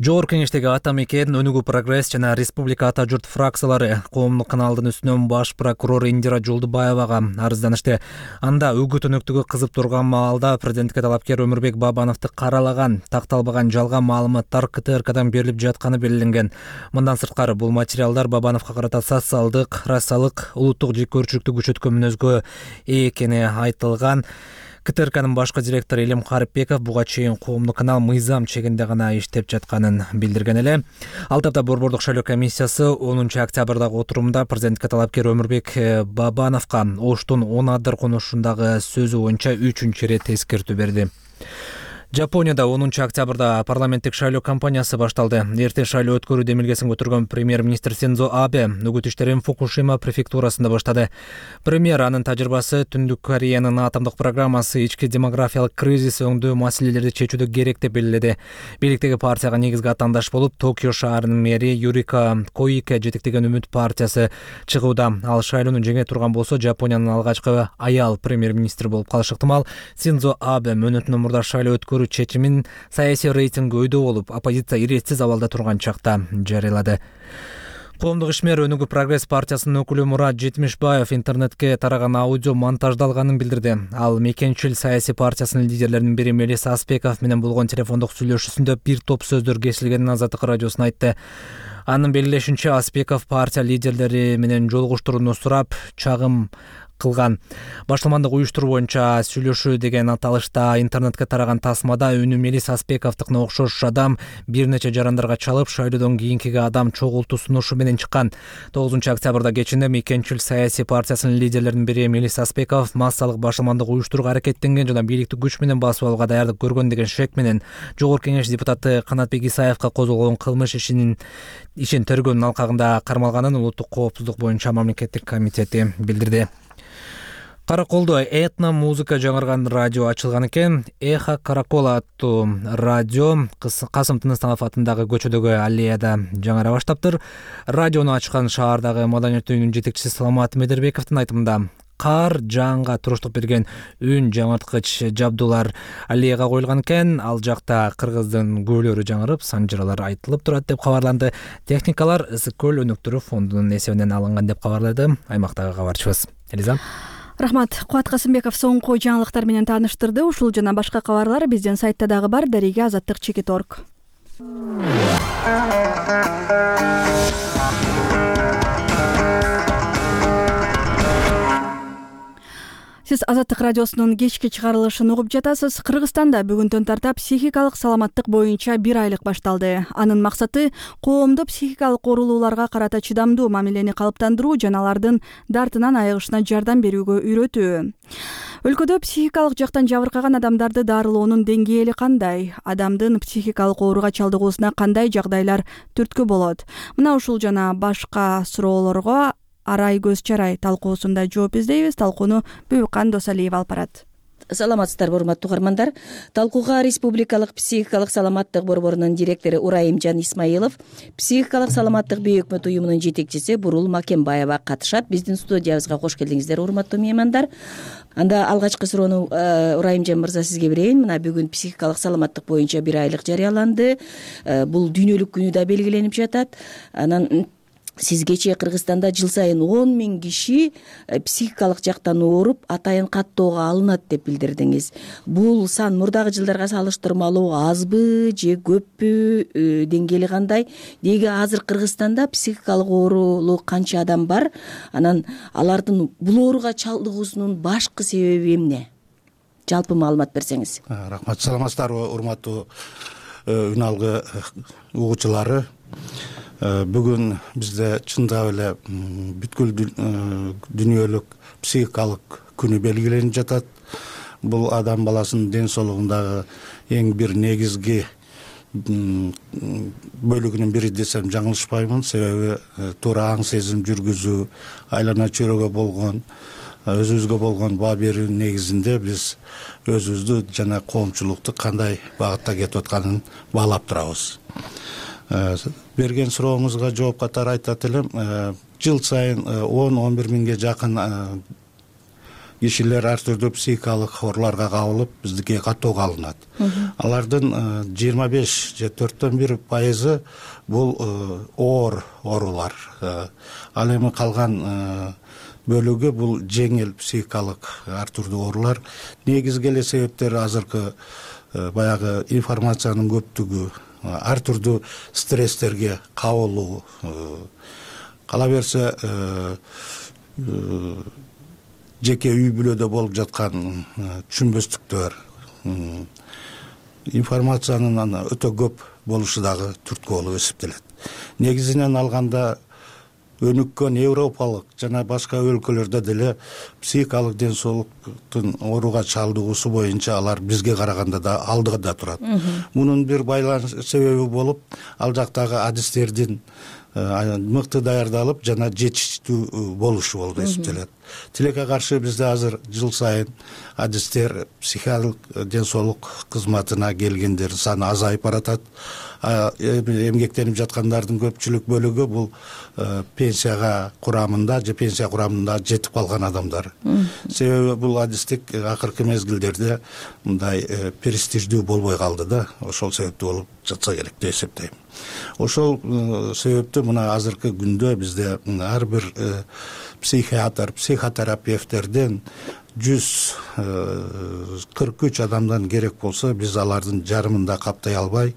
Speaker 3: Жогорку кеңештеги ата мекен, Өнүгүү прогресс жана Республика ата журт фракциялары коомдук каналдын үстүнөн баш прокурор Индира Жолдубаевага арызданышты. Анда үгүт өнөктүгү кызып турган маалда президентке талапкер Өмүрбек Бабановду каралаган, такталбаган жалган маалыматтар КТРКдан берилип жатканы белгиленген. Мындан сырткары бул материалдар Бабановго карата социалдык, расалык, улуттук жеккөрчүлүктү күчөткөн мүнөзгө ээ экени айтылган. КТРКнын башкы директору Элим Карипбеков буга чейин коомдук канал мыйзам чегинде гана иштеп жатканын билдирген эле. Ал тапта Борбордук шайлоо комиссиясы 10 октябрдагы отурумда президентке талапкер Өмүрбек Бабановго Оштун 10 адыр конушундагы сөзү боюнча 3-чү ирет эскертүү берди. Жапонияда 10 октябрда парламенттик шайлоо кампаниясы башталды. Эртең шайлоо өткөрүү демилгесин көтөргөн премьер-министр Синдзо Абе үгүт иштерин Фукушима префектурасында баштады. Премьер анын тажрыйбасы Түндүк Кореянын атомдук программасы ички демографиялык кризис өңдүү маселелерди чечүүдө керек деп белгиледи. Бийликтеги партияга негизги атаандаш болуп, Токио шаарынын мэри Юрика Коике жетектеген Үмүт партиясы чыгууда. Ал шайлоону жеңе турган болсо, Жапониянын алгачкы аял премьер-министри болуп калышы ыктымал. Синдзо Абе мөөнөтүнөн мурда шайлоо өткөрүү чечимин саясий рейтинг өйдө болуп, оппозиция иретсиз абалда турган чакта жарыялады. Коомдук ишмер Өнүгүү прогресс партиясынын өкүлү Мурат Жетимишбаев интернетке тараган аудио монтаждалганын билдирди. Ал мекенчил саясий партиясынын лидерлеринин бири Мелис Аспеков менен болгон телефондук сүйлөшүүсүндө бир топ сөздөр кесилгенин Азаттык радиосуна айтты. Анын белгилешинче, Аспеков партия лидерлери менен жолугуштурууну сурап, чагым кылган. Башламандык уюштуруу боюнча сүйлөшүү деген аталышта интернетке тараган тасмада үнү Мелис Аспековдукуна окшош адам бир нече жарандарга чалып, шайлоодон кийинкиге адам чогултуу сунушу менен чыккан. 9-октябрда кечинде Мекенчил саясий партиясынын лидерлеринин бири Мелис Аспеков массалык башламандык уюштурууга аракеттенген жана бийликти күч менен басып алууга даярдык көргөн деген шек менен Жогорку Кеңеш депутаты Канатбек Исаевка козголгон кылмыш ишин тергөөнүн алкагында кармалганын Улуттук коопсуздук боюнча мамлекеттик комитети билдирди. Караколдо этно музыка жаңырган радио ачылган экен. Эхо Каракола аттуу радио Касым Тыныстанов атындагы көчөдөгү аллеяда жаңыра баштаптыр. Радиону ачкан шаардагы маданият үйүнүн жетекчиси Саламат Медербековдун айтымында кар жаңга туруштук берген үн жаңырткыч жабдуулар аллеяга коюлган экен. Ал жакта кыргыздын көөлөрү жаңырып, санжыралар айтылып турат деп кабарланды. Техникалар Ысык көл өнөктөрү фондунун эсебинен алынган деп кабарлады аймактагы кабарчыбыз. Элиза.
Speaker 1: Рахмат. Кубат Касымбеков соңку жаңылыктар менен тааныштырды. Ушул жана башка кабарлар биздин сайтта дагы бар. Дареге Азаттык.org. Сиз Азаттык радиосунун кечки чыгарылышын угуп жатасыз. Кыргызстанда бүгүндөн тарта психикалык саламаттык боюнча 1 айлык башталды. Анын максаты коомду психикалык оорулууларга карата чыдамдуу мамилени калыптандыруу жана алардын дартынан айыгышына жардам берүүгө үйрөтүү. Өлкөдө психикалык жактан жабыркаган адамдарды дарылоонун деңгээли кандай? Адамдын психикалык ооруга чалдыгуусуна кандай жагдайлар түрткү болот? Мына ушул жана башка суроолорго Арай көз чарай талкуусунда жооп издейбиз. Талкууну Бүбүкан Досалиева алып барат.
Speaker 4: Саламатсыздарбы, урматтуу угармандар. Талкууга Республикалык психикалык саламаттык борборунун директору Урайымжан Исмаилов, психикалык саламаттык бейөкмөт уюмунун жетекчиси Бурул Макембаева катышат. Биздин студиябызга кош келдиңиздер, урматтуу меймандар. Анда алгачкы суроону Урайымжан мырза сизге берейин. Мына бүгүн психикалык саламаттык боюнча 1 айлык жарыяланды. Бул дүйнөлүк күнү да белгиленип жатат. Анан сиз кечээ Кыргызстанда жыл сайын 10 000 киши психикалык жактан ооруп, атайын каттоого алынат деп билдирдиңиз. Бул сан мурдагы жылдарга салыштырмалуу азбы же көппү, деңгээли кандай? Деги азыр Кыргызстанда психикалык оорулуу канча адам бар? Анан алардын бул ооруга чалдыгуусунун башкы себеби эмне? Жалпы маалымат берсеңиз.
Speaker 10: Рахмат. Саламатсыздарбы, урматтуу үн алгы угуучулары. Бүгүн бизде чындап эле бүткүл дүйнөлүк психикалык күнү белгиленип жатат. Бул адам баласынын ден соолугундагы эң бир негизги бөлүгүнүн бири десем жаңылышпаймын. Себеби туура аң сезим жүргүзүү, айлана чөйрөгө болгон, өзүбүзгө болгон баа берүү негизинде биз өзүбүздү жана коомчулукту кандай багытта кетип атканын баалап турабыз. Берген сурооңузга жооп катары айтат элем, жыл сайын 10-11 миңге жакын кишилер ар түрдүү психикалык ооруларга кабылып, биздикке каттоого алынат. Алардын 25 же 4/1% бул оор оорулар. Ал эми калган бөлүгү бул жеңил психикалык ар түрдүү оорулар. Негизги эле себептери азыркы баягы информациянын көптүгү, ар түрдүү стресстерге кабылуу, кала берсе жеке үй бүлөдө болуп жаткан түшүнбөстүктөр, информациянын өтө көп болушу дагы түрткү болуп эсептелет. Негизинен алганда өнүккөн европалык жана башка өлкөлөрдө деле психикалык ден соолуктун ооруга чалдыгуусу боюнча алар бизге караганда да алдыда турат. Мунун бир байланыш себеби болуп, ал жактагы адистердин мыкты даярдалып жана жетиштүү болушу болуп эсептелет. Тилекке каршы бизде азыр жыл сайын адистер психикалык ден соолук кызматына келгендердин саны азайып баратат. Эмгектенип жаткандардын көпчүлүк бөлүгү бул пенсияга курамында же пенсия курамында жетип калган адамдар. Себеби бул адистик акыркы мезгилдерде мындай престиждүү болбой калды да, ошол себептүү болуп жатса керек деп эсептейм. Ошол себептүү мына азыркы күндө бизде ар бир психиатр, психотерапевттерден 143 адамдан керек болсо, биз алардын жарымын да каптай албай,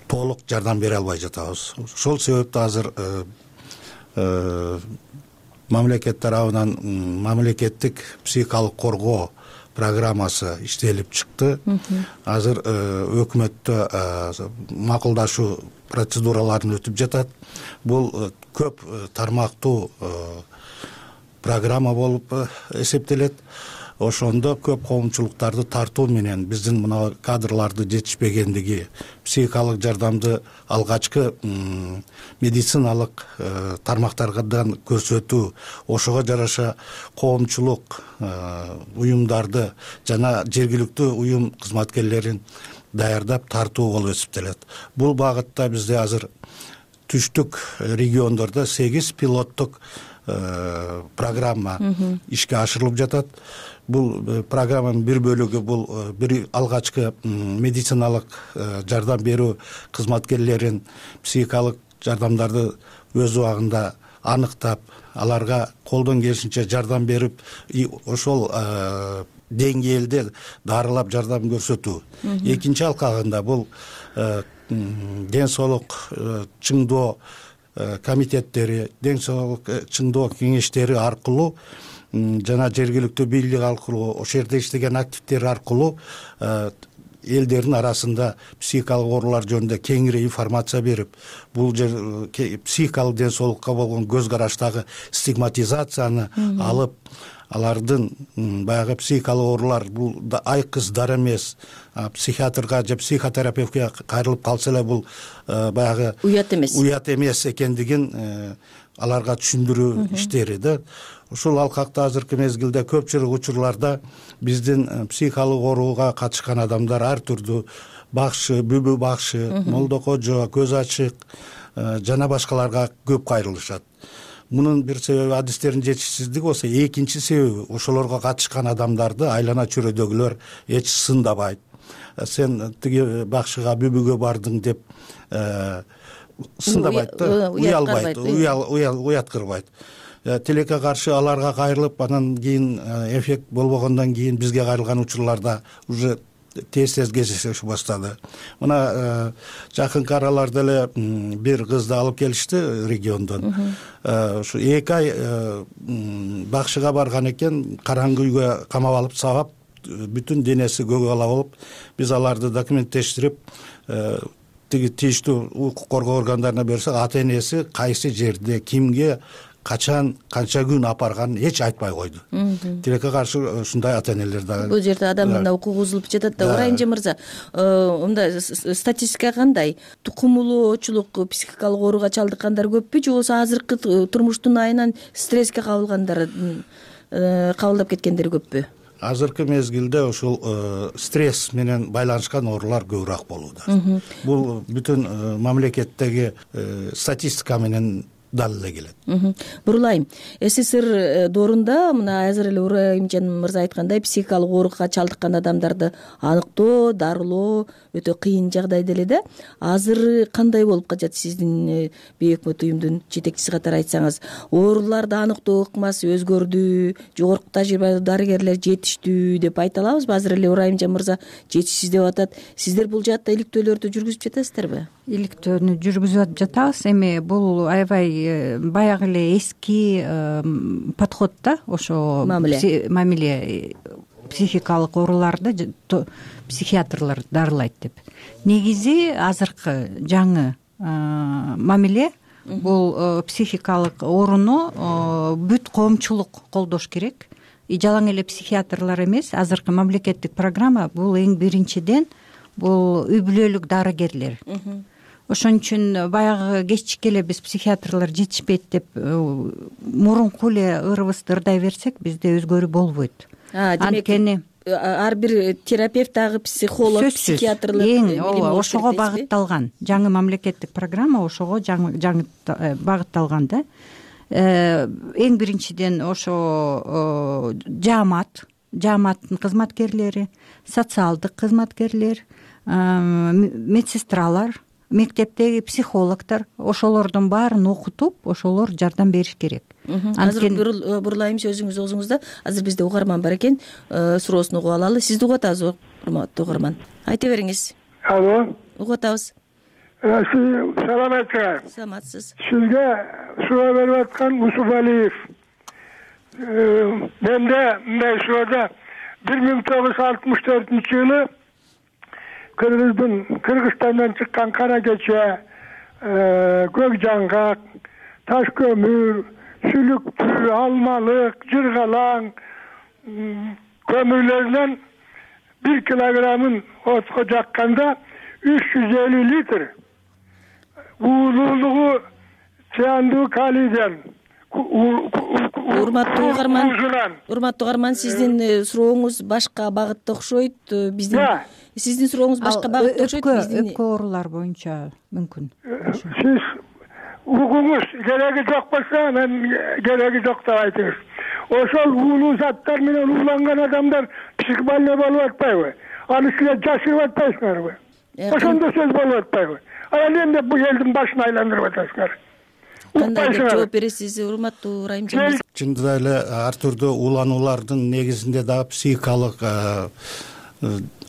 Speaker 10: толук жардам бере албай жатабыз. Ошол себептен азыр мамлекет тарабынан мамлекеттик психикалык коргоо программасы иштелип чыкты. Азыр өкмөттө макулдашуу процедураларын өтүп жатат. Бул көп тармактуу программа болуп эсептелет. Ошондо көп коомчулуктарды тартуу менен биздин мына кадрларды жетишпегендиги, психикалык жардамды алгачкы медициналык тармактардан көрсөтүү, ошого жараша коомчулук уюмдарды жана жергиликтүү уюм кызматкерлерин даярдап тартуу болуп эсептелет. Бул багытта бизде азыр түштүк региондордо 8 пилоттук программа ишке ашырылып жатат. Бул программанын бир бөлүгү бул бир алгачкы медициналык жардам берүү кызматкерлерин психикалык жардамдарды өз убагында аныктап, аларга колдон келишинче жардам берип, ошол деңгээлде дарылап жардам көрсөтүү. Экинчи алкагында бул ден соолук чыңдоо комитеттери, ден соолук чыңдоо кеңештери аркылуу жана жергиликтүү бийлик аркылуу, ошол жерде иштеген активдер аркылуу элдердин арасында психикалык оорулар жөнүндө кеңири информация берип, бул психикалык ден соолукка болгон көз караштагы стигматизацияны алып, алардын баягы психикалык оорулар бул айкыз дар эмес, психиатрга же психотерапевтке кайрылып калса эле бул баягы уят эмес экендигин аларга түшүндүрүү иштери да. Ушул алкакта азыркы мезгилде көпчүлүк учурларда биздин психикалык ооруга катышкан адамдар ар түрдүү бакшы, бүбү бакшы, молдо кожо, көз ачык жана башкаларга көп кайрылышат. Мунун бир себеби адистердин жетишсиздиги болсо, экинчи себеби ошолорго катышкан адамдарды айлана чөйрөдөгүлөр эч сындабайт. Сен тиги бакшыга, бүбүгө бардың деп сындабайт да, уялбайт, уяткырбайт. Тилекке каршы аларга кайрылып, анан кийин эффект болбогондон кийин бизге кайрылган учурларда уже тез кездеше баштады. Мына жакынкы араларда эле бир кызды алып келишти региондон. Ушу 2 ай бакшыга барган экен, караңгы үйгө камап алып сабап, бүтүн денеси көгала болуп, биз аларды документтештирип, тиги тийиштүү укук коргоо органдарына берсек, ата энеси кайсы жерде, кимге, качан, канча күн апарганын эч айтпай койду. Тилекке каршы ушундай ата энелер дагы.
Speaker 4: Бул жерде адамдын укугу бузулуп жатат да. Урайымжы мырза, мындай статистика кандай? Тукумулуучулук, психикалык ооруга чалдыккандар көппү же болбосо азыркы турмуштун айынан стресске кабылгандар, кабылдап кеткендер көппү?
Speaker 10: Азыркы мезгилде ушул стресс менен байланышкан оорулар көбүрөөк болууда. Бул бүтүн мамлекеттеги статистика менен дал эле келет.
Speaker 4: Бурулайым, СССР доорунда мына азыр эле Урайымжан мырза айткандай, психикалык ооруга чалдыккан адамдарды аныктоо, дарылоо өтө кыйын жагдайда эле да. Азыр кандай болуп калат сиздин бейөкмөт уюмдун жетекчиси катары айтсаңыз? Ооруларды аныктоо ыкмасы өзгөрдү, жогорку тажрыйбалуу дарыгерлер жетиштүү деп айта алабызбы? Азыр эле Урайымжан мырза жетишсиз деп атат. Сиздер бул жаатта иликтөөлөрдү жүргүзүп жатасыздарбы?
Speaker 11: Иликтөөнү жүргүзүп жатабыз. Эми бул аябай баягы эле эски подход да, ошо мамиле психикалык ооруларды психиатрлар дарылайт деп. Негизи азыркы жаңы мамиле бул психикалык ооруну бүт коомчулук колдош керек. Жалаң эле психиатрлар эмес, азыркы мамлекеттик программа бул эң биринчиден бул үй бүлөлүк дарыгерлер. Ошон үчүн баягы кечичке эле биз психиатрлар жетишпейт деп мурунку эле ырыбызды ырдай берсек, бизде өзгөрүү болбойт. Анткени
Speaker 4: ар бир терапевт дагы психолог, психиатрлар
Speaker 11: ошого багытталган. Жаңы мамлекеттик программа ошого жаңы багытталган да. Эң биринчиден ошо жааматтын кызматкерлери, социалдык кызматкерлер, медсестралар, мектептеги психологдор, ошолордун баарын окутуп, ошолор жардам бериш керек.
Speaker 4: Азыр бурулайым сөзүңүз оозуңузда. Азыр бизде угарман бар экен, суроосун угуп алалы. Сизди угуп атабыз, урматтуу угарман. Айта бериңиз.
Speaker 12: Алло.
Speaker 4: Угуп атабыз.
Speaker 12: Саламатсызбы?
Speaker 4: Саламатсыз.
Speaker 12: Сизге суроо берип аткан Усупалиев. Менде мындай суроода 1964-жылы Кыргызстандан чыккан кара кече, көк жаңгак, таш көмүр, сүлүктүү, алмалык, жыргалаң көмүрлөрүнөн 1 килограммын отко жакканда 350 литр уулуулугу циандуу калийден
Speaker 4: урматтуу угарман, сиздин сурооңуз башка багытта окшойт. Сиздин сурооңуз башка багытта окшойт.
Speaker 11: Өпкө оорулар боюнча мүмкүн.
Speaker 12: Сиз угуңуз кереги жок болсо, мен кереги жок деп айтыңыз. Ошол уулуу заттар менен ууланган адамдар психбольной болуп атпайбы? Аны силер жашырып атпайсыңарбы? Ошондо сөз болуп атпайбы? Анан эмне бул элдин башын айландырып атасыңар?
Speaker 4: Кандай деп жооп бересиз, урматтуу Райымжан?
Speaker 10: Чындап эле ар түрдүү уулануулардын негизинде дагы психикалык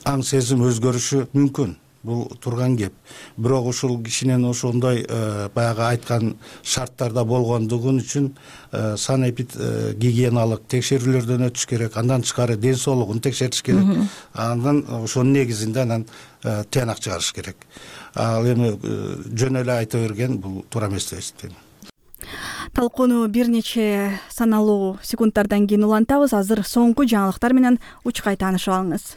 Speaker 10: аң сезим өзгөрүшү мүмкүн. Бул турган кеп. Бирок ушул кишинин ошондой баягы айткан шарттарда болгондугун үчүн санэпид гигиеналык текшерүүлөрдөн өтүш керек. Андан тышкары ден соолугун текшертиш керек. Андан ошонун негизинде анан тыянак чыгарыш керек. Ал эми жөн эле айта берген бул туура эмес деп эсептейм.
Speaker 1: Талкууну бир нече саналуу секунддардан кийин улантабыз. Азыр соңку жаңылыктар менен учкай таанышып алыңыз.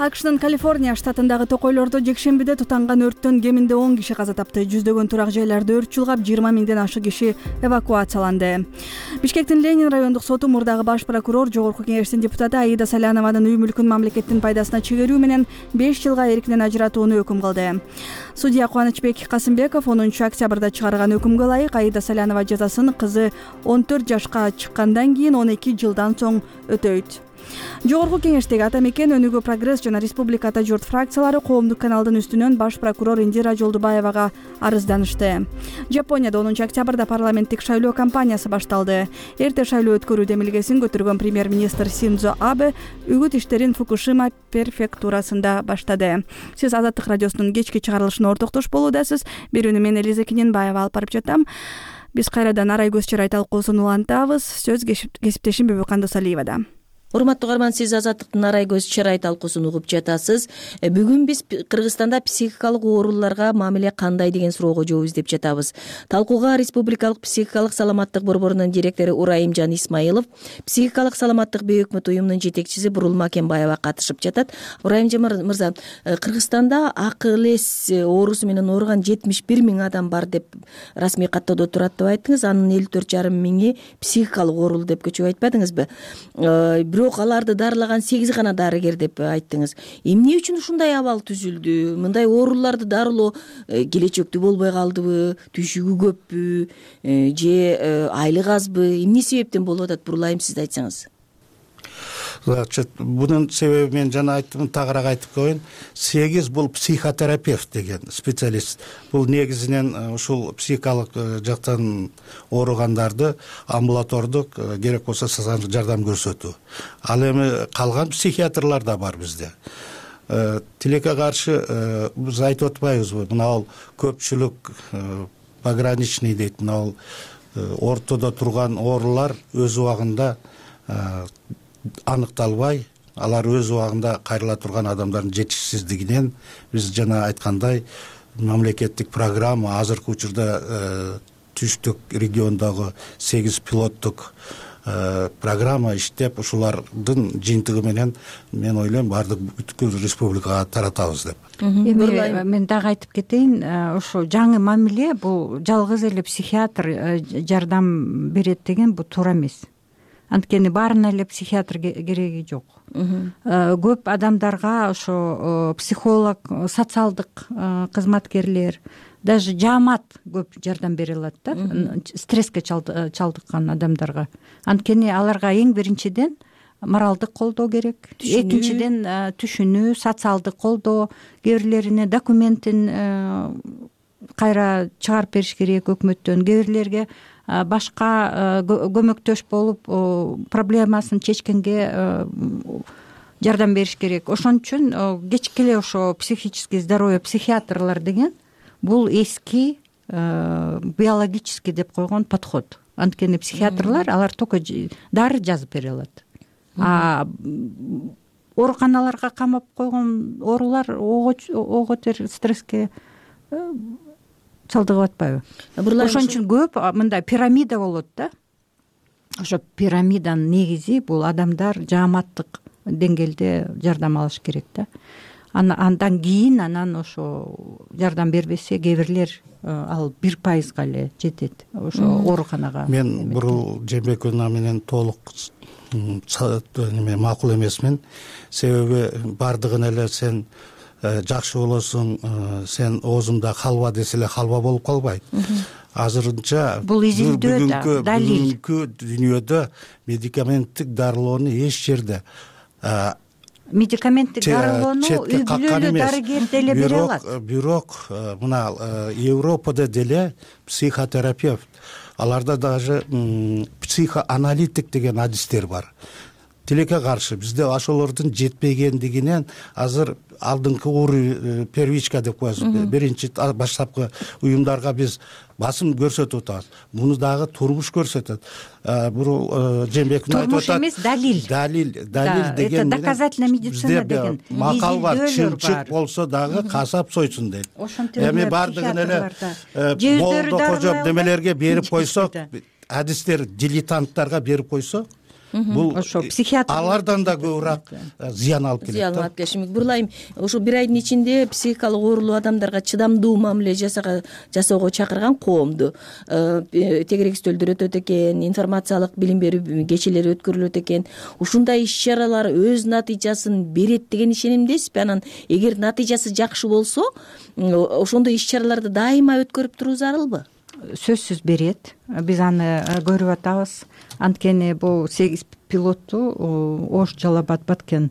Speaker 1: АКШнын Калифорния штатындагы токойлордо жекшембиде тутанган өрттөн кеминде 10 киши каза тапты. Жүздөгөн турак жайларда өрт чулгап, 20 миңден ашык киши эвакуацияланды. Бишкектин Ленин райондук соту мурдагы баш прокурор, жогорку кеңештин депутаты Аида Салянованын үй мүлкүн мамлекеттин пайдасына чегерүү менен 5 жылга эркинен ажыратууну өкүм кылды. Судья Кубанычбек Касымбеков 10 октябрда чыгарган өкүмгө ылайык Аида Салянова жазасын кызы 14 жашка чыккандан кийин 12 жылдан соң өтөйт. Жогорку кеңештеги ата мекен, Өнүгүү Прогресс жана Республика Ата журт фракциялары коомдук каналдын үстүнөн баш прокурор Индира Жолдубаевага арызданышты. Жапонияда 10 октябрда парламенттик шайлоо кампаниясы башталды. Эрте шайлоо өткөрүү демилгесин көтөргөн премьер-министр Синдзо Абе үгүт иштерин Фукушима префектурасында баштады. Сиз Азаттык радиосунун кечки чыгарылышына ортоктош болуудасыз. Берүүнү мен Элиза Киненбаева алып барып жатам. Биз кайрадан Арай көз чырай талкуусун улантабыз. Сөз кесиптешим Бөбөкан Досалиевада.
Speaker 4: Урматтуу угарман, сиз Азаттыктын Арай көз чырай талкуусун угуп жатасыз. Бүгүн биз Кыргызстанда психикалык ооруларга мамиле кандай деген суроого жооп издеп жатабыз. Талкууга Республикалык психикалык саламаттык борборунун директору Урайымжан Исмаилов, психикалык саламаттык бейөкмөт уюмунун жетекчиси Бурул Макенбаева катышып жатат. Урайымжан мырза, Кыргызстанда акыл эс оорусу менен ооруган 71 миң адам бар деп расмий каттоодо турат деп айттыңыз. Анын 54,5 миңи психикалык оорулуу деп көчүп айтпадыңызбы? Бирок аларды дарылаган 8 гана дарыгер деп айттыңыз. Эмне үчүн ушундай абал түзүлдү? Мындай ооруларды дарылоо келечектүү болбой калдыбы? Түшүгү көппү? Же айлык азбы? Эмне себептен болуп атат? Бурулайым, сиз айтсаңыз.
Speaker 10: Бунун себеби мен жана айттым, тагыраак айтып коеюн. 8 бул психотерапевт деген специалист. Бул негизинен ушул психикалык жактан ооругандарды амбулатордук, керек болсо социалдык жардам көрсөтүү. Ал эми калган психиатрлар да бар бизде. Тилекке каршы биз айтып атпайбызбы? Мына көпчүлүк пограничный дейт. Мына ортодо турган оорулар өз убагында аныкталбай, алар өз убагында кайрыла турган адамдардын жетишсиздигинен биз жана айткандай мамлекеттик программа азыркы учурда түштүк региондогу 8 пилоттук программа иштеп, ушулардын жыйынтыгы менен мен ойлойм баардык бүткүл республикага таратабыз деп.
Speaker 11: Эми мен дагы айтып кетейин, ошо жаңы мамиле бул жалгыз эле психиатр жардам берет деген бул туура эмес. Анткени баарына эле психиатр кереги жок. Көп адамдарга ошо психолог, социалдык кызматкерлер, даже жаамат көп жардам бере алат да, стресске чалдыккан адамдарга. Анткени аларга эң биринчиден моралдык колдоо керек, экинчиден түшүнүү, социалдык колдоо, кээ бирлерине документин кайра чыгарып бериш керек өкмөттөн. Кээ бирлерге башка көмөктөш болуп проблемасын чечкенге жардам бериш керек. Ошон үчүн кечке эле ошо психический здоровье психиатрлар деген бул эски биологический деп койгон подход. Анткени психиатрлар алар только дары жазып бере алат. Ооруканаларга камап койгон оорулар ого тер стресске чалдыгып атпайбы? Ошон үчүн көп мындай пирамида болот да. Ошо пирамиданын негизи бул адамдар жааматтык деңгээлде жардам алыш керек да. Андан кийин анан ошо жардам бербесе кээ бирлер ал 1%га эле жетет ошо ооруканага.
Speaker 10: Мен бурул Жээнбекова менен толук макул эмесмин. Себеби бардыгын эле сен жакшы болосуң, сен оозумда халва десе эле халва болуп калбайт. Азырынча
Speaker 11: бул изилдөө да, далил.
Speaker 10: Бүгүнкү дүйнөдө медикаменттик дарылоону эч жерде
Speaker 11: медикаменттик дарылоону үй бүлөлүү дарыгер деле бере алат.
Speaker 10: Бирок мына Европада деле психотерапевт, аларда даже психоаналитик деген адистер бар. Тилекке каршы бизде ошолордун жетпегендигинен азыр алдыңкы первичка деп коебуз. Биринчи баштапкы уюмдарга биз басым көрсөтүп атабыз. Муну дагы турмуш көрсөтөт. Бул Жээнбеков айтып атат.
Speaker 11: Турмуш эмес, далил.
Speaker 10: Далил деген
Speaker 11: доказательная медицина деген
Speaker 10: макал бар. Чынчык болсо дагы касап сойсун дейт. Эми бардыгын эле болду кожоп немелерге берип койсок, адистер дилетанттарга берип койсок, бул
Speaker 11: ошо психиатр
Speaker 10: алардан да көбүрөөк зыян алып келет.
Speaker 4: Зыян алып келиши мүмкүн. Бурлайым, ошо бир айдын ичинде психикалык оорулуу адамдарга чыдамдуу мамиле жасоого чакырган коомду тегерек стөлдөр өтөт экен, информациялык билим берүү кечелери өткөрүлөт экен. Ушундай иш-чаралар өз натыйжасын берет деген ишенимдесизби? Анан эгер натыйжасы жакшы болсо, ошондой иш-чараларды дайыма өткөрүп туруу зарылбы?
Speaker 11: Сөзсүз берет. Биз аны көрүп атабыз. Анткени бул 8 пилотту Ош, Жалал Абад, Баткен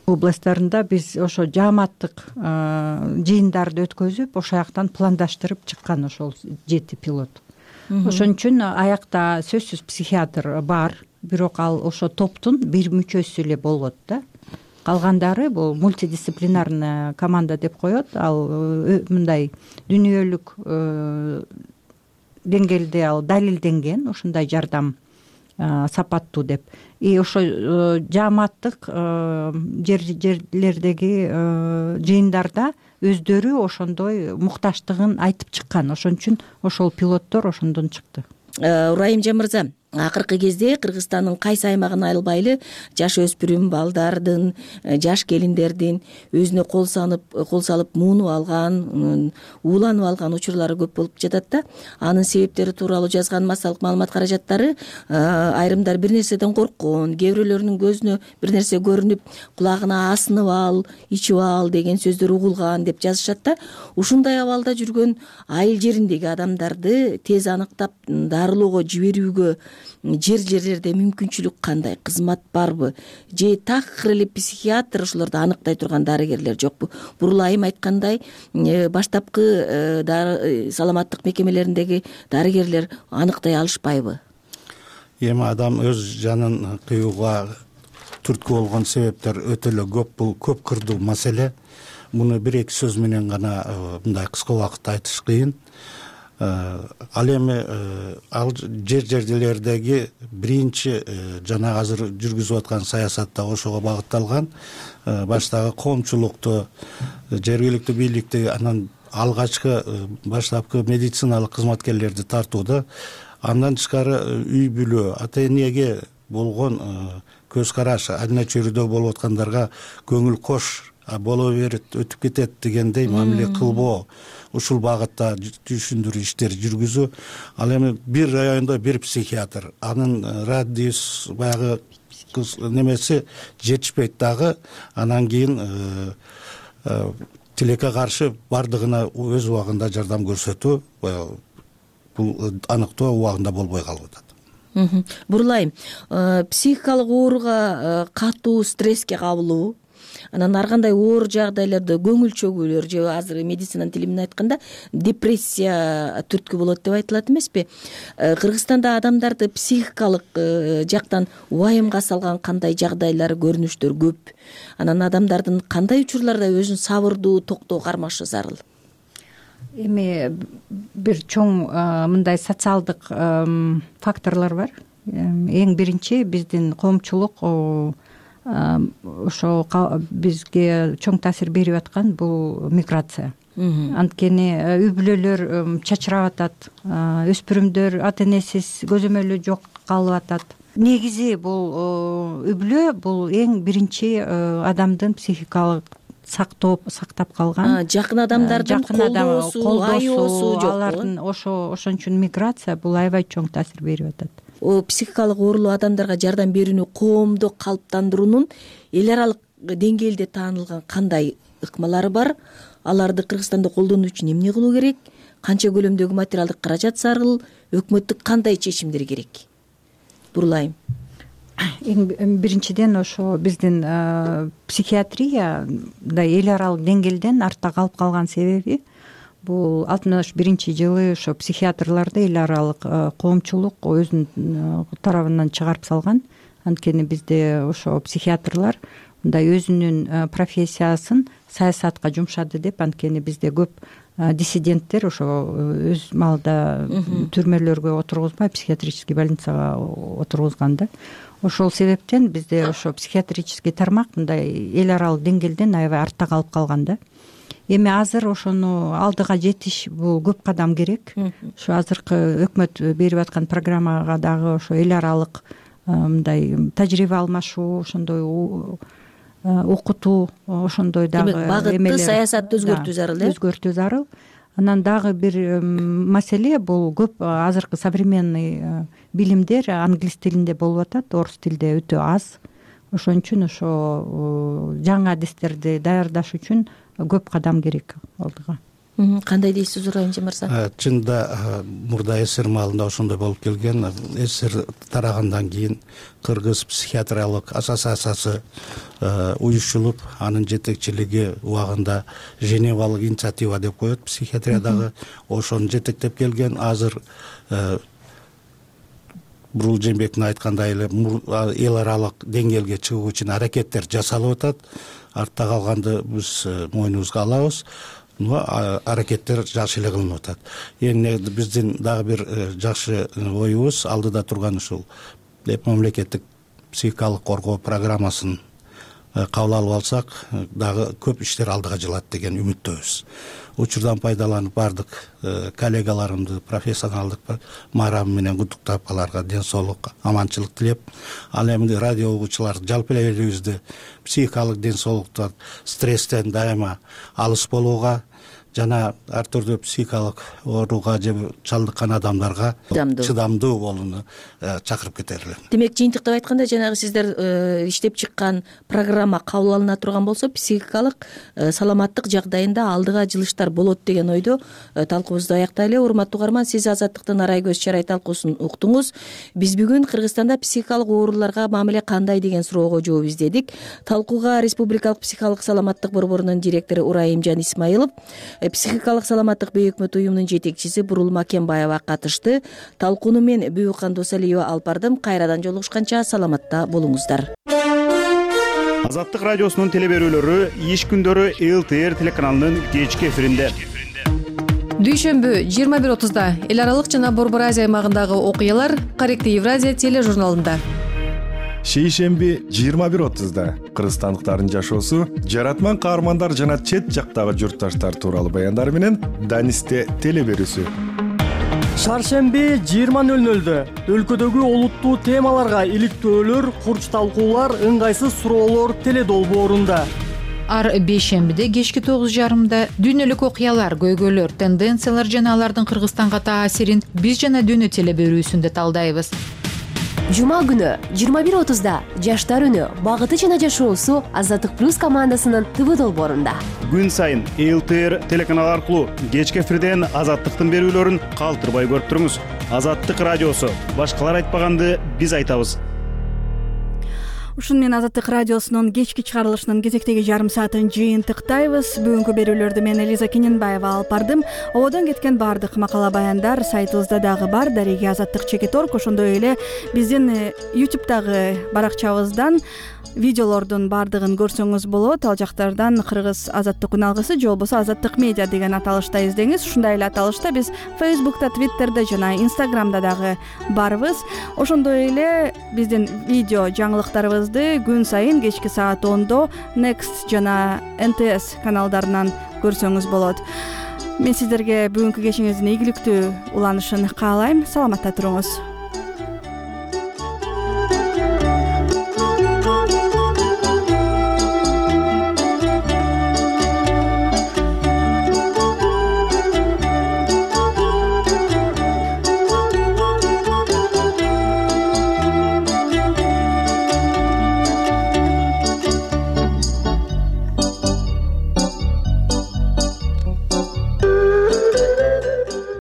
Speaker 11: областтарында биз ошо жааматтык жыйындарды өткөзүп, ошол жактан пландаштырып чыккан ошол 7 пилот. Ошон үчүн аякта сөзсүз психиатр бар, бирок ал ошо топтун бир мүчөсү эле болот да. Калгандары бул мультидисциплинарный команда деп коет. Ал мындай дүйнөлүк деңгээлде ал далилденген, ушундай жардам сапаттуу деп. Ошо жааматтык жерлердеги жыйындарда өздөрү ошондой мукташтыгын айтып чыккан. Ошон үчүн ошол пилоттор ошондон чыкты.
Speaker 4: Урайымжан мырза, акыркы кезде Кыргызстандын кайсы аймагын айылбайлы жаш өспүрүм балдардын, жаш келиндердин өзүнө кол салып муунуп алган, ууланып алган учурлары көп болуп жатат да. Анын себептери тууралуу жазган массалык маалымат каражаттары айрымдар бир нерседен корккон, кээ бирөөлөрүнүн көзүнө бир нерсе көрүнүп, кулагына асынып ал, ичип ал деген сөздөр угулган деп жазышат да. Ушундай абалда жүргөн айыл жериндеги адамдарды тез аныктап дарылоого жиберүүгө жерлерде мүмкүнчүлүк кандай, кызмат барбы? Же такыр эле психиатр ошолорду аныктай турган дарыгерлер жокпу? Бурлайым айткандай, баштапкы саламаттык мекемелериндеги дарыгерлер аныктай алышпайбы?
Speaker 10: Эми адам өз жанын кыюуга түрткү болгон себептер өтө эле көп. Бул көп кырдуу маселе. Муну бир-эки сөз менен гана мындай кыска убакытта айтыш кыйын. Ал эми ал жерлердеги биринчи жана азыр жүргүзүп аткан саясат да ошого багытталган. Баштагы коомчулукту, жергиликтүү бийликти, анан алгачкы баштапкы медициналык кызматкерлерди тартууда, андан тышкары үй бүлө, ата энеге болгон көз караш, айна чөйрөдө болуп аткандарга көңүл кош, боло берет, өтүп кетет дегендей мамиле кылбоо, ушул багытта түшүндүрүү иштери жүргүзүү. Ал эми бир райондо бир психиатр, анын радиус баягы немеси жетишпейт дагы. Анан кийин тилекке каршы бардыгына өз убагында жардам көрсөтүү, бул аныктоо убагында болбой калып атат.
Speaker 4: Бурлайым, психикалык ооруга катуу стресске кабылуу, анан ар кандай оор жагдайларда көңүл чөгүүлөр же азыр медицинанын тили менен айтканда депрессия түрткү болот деп айтылат эмеспи? Кыргызстанда адамдарды психикалык жактан убайымга салган кандай жагдайлар, көрүнүштөр көп? Анан адамдардын кандай учурларда өзүн сабырдуу, токтоо кармашы зарыл?
Speaker 11: Эми бир чоң мындай социалдык факторлор бар. Эң биринчи биздин коомчулук ошо бизге чоң таасир берип аткан бул миграция. Анткени үй бүлөлөр чачырап атат, өспүрүмдөр ата энесиз көзөмөлү жок калып атат. Негизи бул үй бүлө бул эң биринчи адамдын психикалык сактап калган
Speaker 4: жакын адамдардын колдоосу, аyoосу жок.
Speaker 11: Алардын ошон үчүн миграция бул аябай чоң таасир берип атат.
Speaker 4: Психикалык оорулуу адамдарга жардам берүүнү коомдо калыптандыруунун эл аралык деңгээлде таанылган кандай ыкмалары бар? Аларды Кыргызстанда колдонуу үчүн эмне кылуу керек? Канча көлөмдөгү материалдык каражат зарыл? Өкмөттүк кандай чечимдер керек? Бурлайым.
Speaker 11: Эң биринчиден ошо биздин психиатрияда эл аралык деңгээлден артта калып калган себеби бул 61-жылы ошо психиатрларды эл аралык коомчулук өзүнүн тарабынан чыгарып салган. Анткени бизде ошо психиатрлар мындай өзүнүн профессиясын саясатка жумшады деп, анткени бизде көп диссиденттер ошо өз маалда түрмөлөргө отургузбай психиатрический больницага отургузган да. Ошол себептен бизде ошо психиатрический тармак мындай эл аралык деңгээлден аябай артта калып калган да. Эми азыр ошону алдыга жетиш бул көп кадам керек. Ошо азыркы өкмөт берип аткан программага дагы ошо эл аралык мындай тажрыйба алмашуу, ошондой окутуу, ошондой дагы
Speaker 4: багытты саясатты өзгөртүү зарыл.
Speaker 11: Өзгөртүү зарыл. Анан дагы бир маселе бул көп азыркы современный билимдер англис тилинде болуп атат, орус тилде өтө аз. Ошон үчүн ошо жаңы адистерди даярдаш үчүн көп кадам керек алдыга.
Speaker 4: Кандай дейсиз Урайымжан мырза?
Speaker 10: Чынында мурда СССР маалында ошондой болуп келген. СССР тарагандан кийин Кыргыз психиатриялык ассоциациясы уюштурулуп, анын жетекчилиги убагында Женевалык инициатива деп коет психиатриядагы. Ошону жетектеп келген. Азыр Бурул Жээнбектин айткандай эле эл аралык деңгээлге чыгуу үчүн аракеттер жасалып атат. Артта калганды биз мойнубузга алабыз. Аракеттер жакшы эле кылынып атат. Эми биздин дагы бир жакшы оюбуз алдыда турган ушул мамлекеттик психикалык коргоо программасын кабыл алып алсак, дагы көп иштер алдыга жылат деген үмүттөбүз. Учурдан пайдаланып бардык коллегаларымды профессионалдык маарабы менен куттуктап, аларга ден соолук, аманчылык тилеп, ал эми радио угуучулар жалпы эле элибизди психикалык ден соолуктан, стресстен дайыма алыс болууга жана ар түрдүү психикалык ооруга же чалдыккан адамдарга чыдамдуу болууну чакырып кетер элем.
Speaker 4: Демек, жыйынтыктап айтканда, жанагы сиздер иштеп чыккан программа кабыл алына турган болсо, психикалык саламаттык жагдайында алдыга жылыштар болот деген ойдо талкуубузду аяктайлы. Урматтуу угарман, сиз Азаттыктын Арай көз чарай талкуусун уктуңуз. Биз бүгүн Кыргызстанда психикалык ооруларга мамиле кандай деген суроого жооп издедик. Талкууга Республикалык психикалык саламаттык борборунун директору Урайымжан Исмаилов, психикалык саламаттык бейөкмөт уюмунун жетекчиси Бурул Макенбаева катышты. Талкууну мен Бүкан Досалиева алып бардым. Кайрадан жолугушканча саламатта болуңуздар.
Speaker 8: Азаттык радиосунун телеберүүлөрү иш күндөрү ЛТР телеканалынын кечки эфиринде.
Speaker 2: Дүйшөмбү 21:30-да эл аралык жана Борбор Азия аймагындагы окуялар Корректив Евразия тележурналында.
Speaker 17: Шейшемби 21:30-да кыргызстандыктардын жашоосу, жаратман каармандар жана чет жактагы журтташтар тууралуу баяндар менен Данисте телеберүүсү.
Speaker 13: Шаршемби 20:00-дө өлкөдөгү олуттуу темаларга иликтөөлөр, курч талкуулар, ыңгайсыз суроолор теледолбоорунда.
Speaker 14: Ар бейшембиде кечки 9:30-да дүйнөлүк окуялар, көйгөйлөр, тенденциялар жана алардын Кыргызстанга таасирин биз жана дүйнө телеберүүсүндө талдайбыз.
Speaker 15: Жума күнү 21:30-да жаштар үнү, багыты жана жашоосу Азаттык плюс командасынын ТВ долбоорунда.
Speaker 8: Күн сайын ЛТР телеканалы аркылуу кечки эфирден Азаттыктын берүүлөрүн калтырбай көрүп туруңуз. Азаттык радиосу, башкалар айтпаганды биз айтабыз.
Speaker 1: Ушун менен Азаттык радиосунун кечки чыгарылышынын кезектеги жарым саатын жыйынтыктайбыз. Бүгүнкү берүүлөрдү мен Элиза Кененбаева алып бардым. Ободон кеткен баардык макала баяндар сайтыбызда дагы бар. Дареги Азаттык.org. Ошондой эле биздин YouTube'дагы баракчабыздан видеолордун баардыгын көрсөңүз болот. Ал жактардан Кыргыз Азаттык үналгысы же болбосо Азаттык медиа деген аталышта издеңиз. Ушундай эле аталышта биз Facebook'та, Twitter'да жана Instagram'да дагы барбыз. Ошондой эле биздин видео жаңылыктарыбызды күн сайын кечки саат 10-до Next жана NTS каналдарынан көрсөңүз болот. Мен сиздерге бүгүнкү кечиңиздин ийгиликтүү уланышын каалайм. Саламатта туруңуз.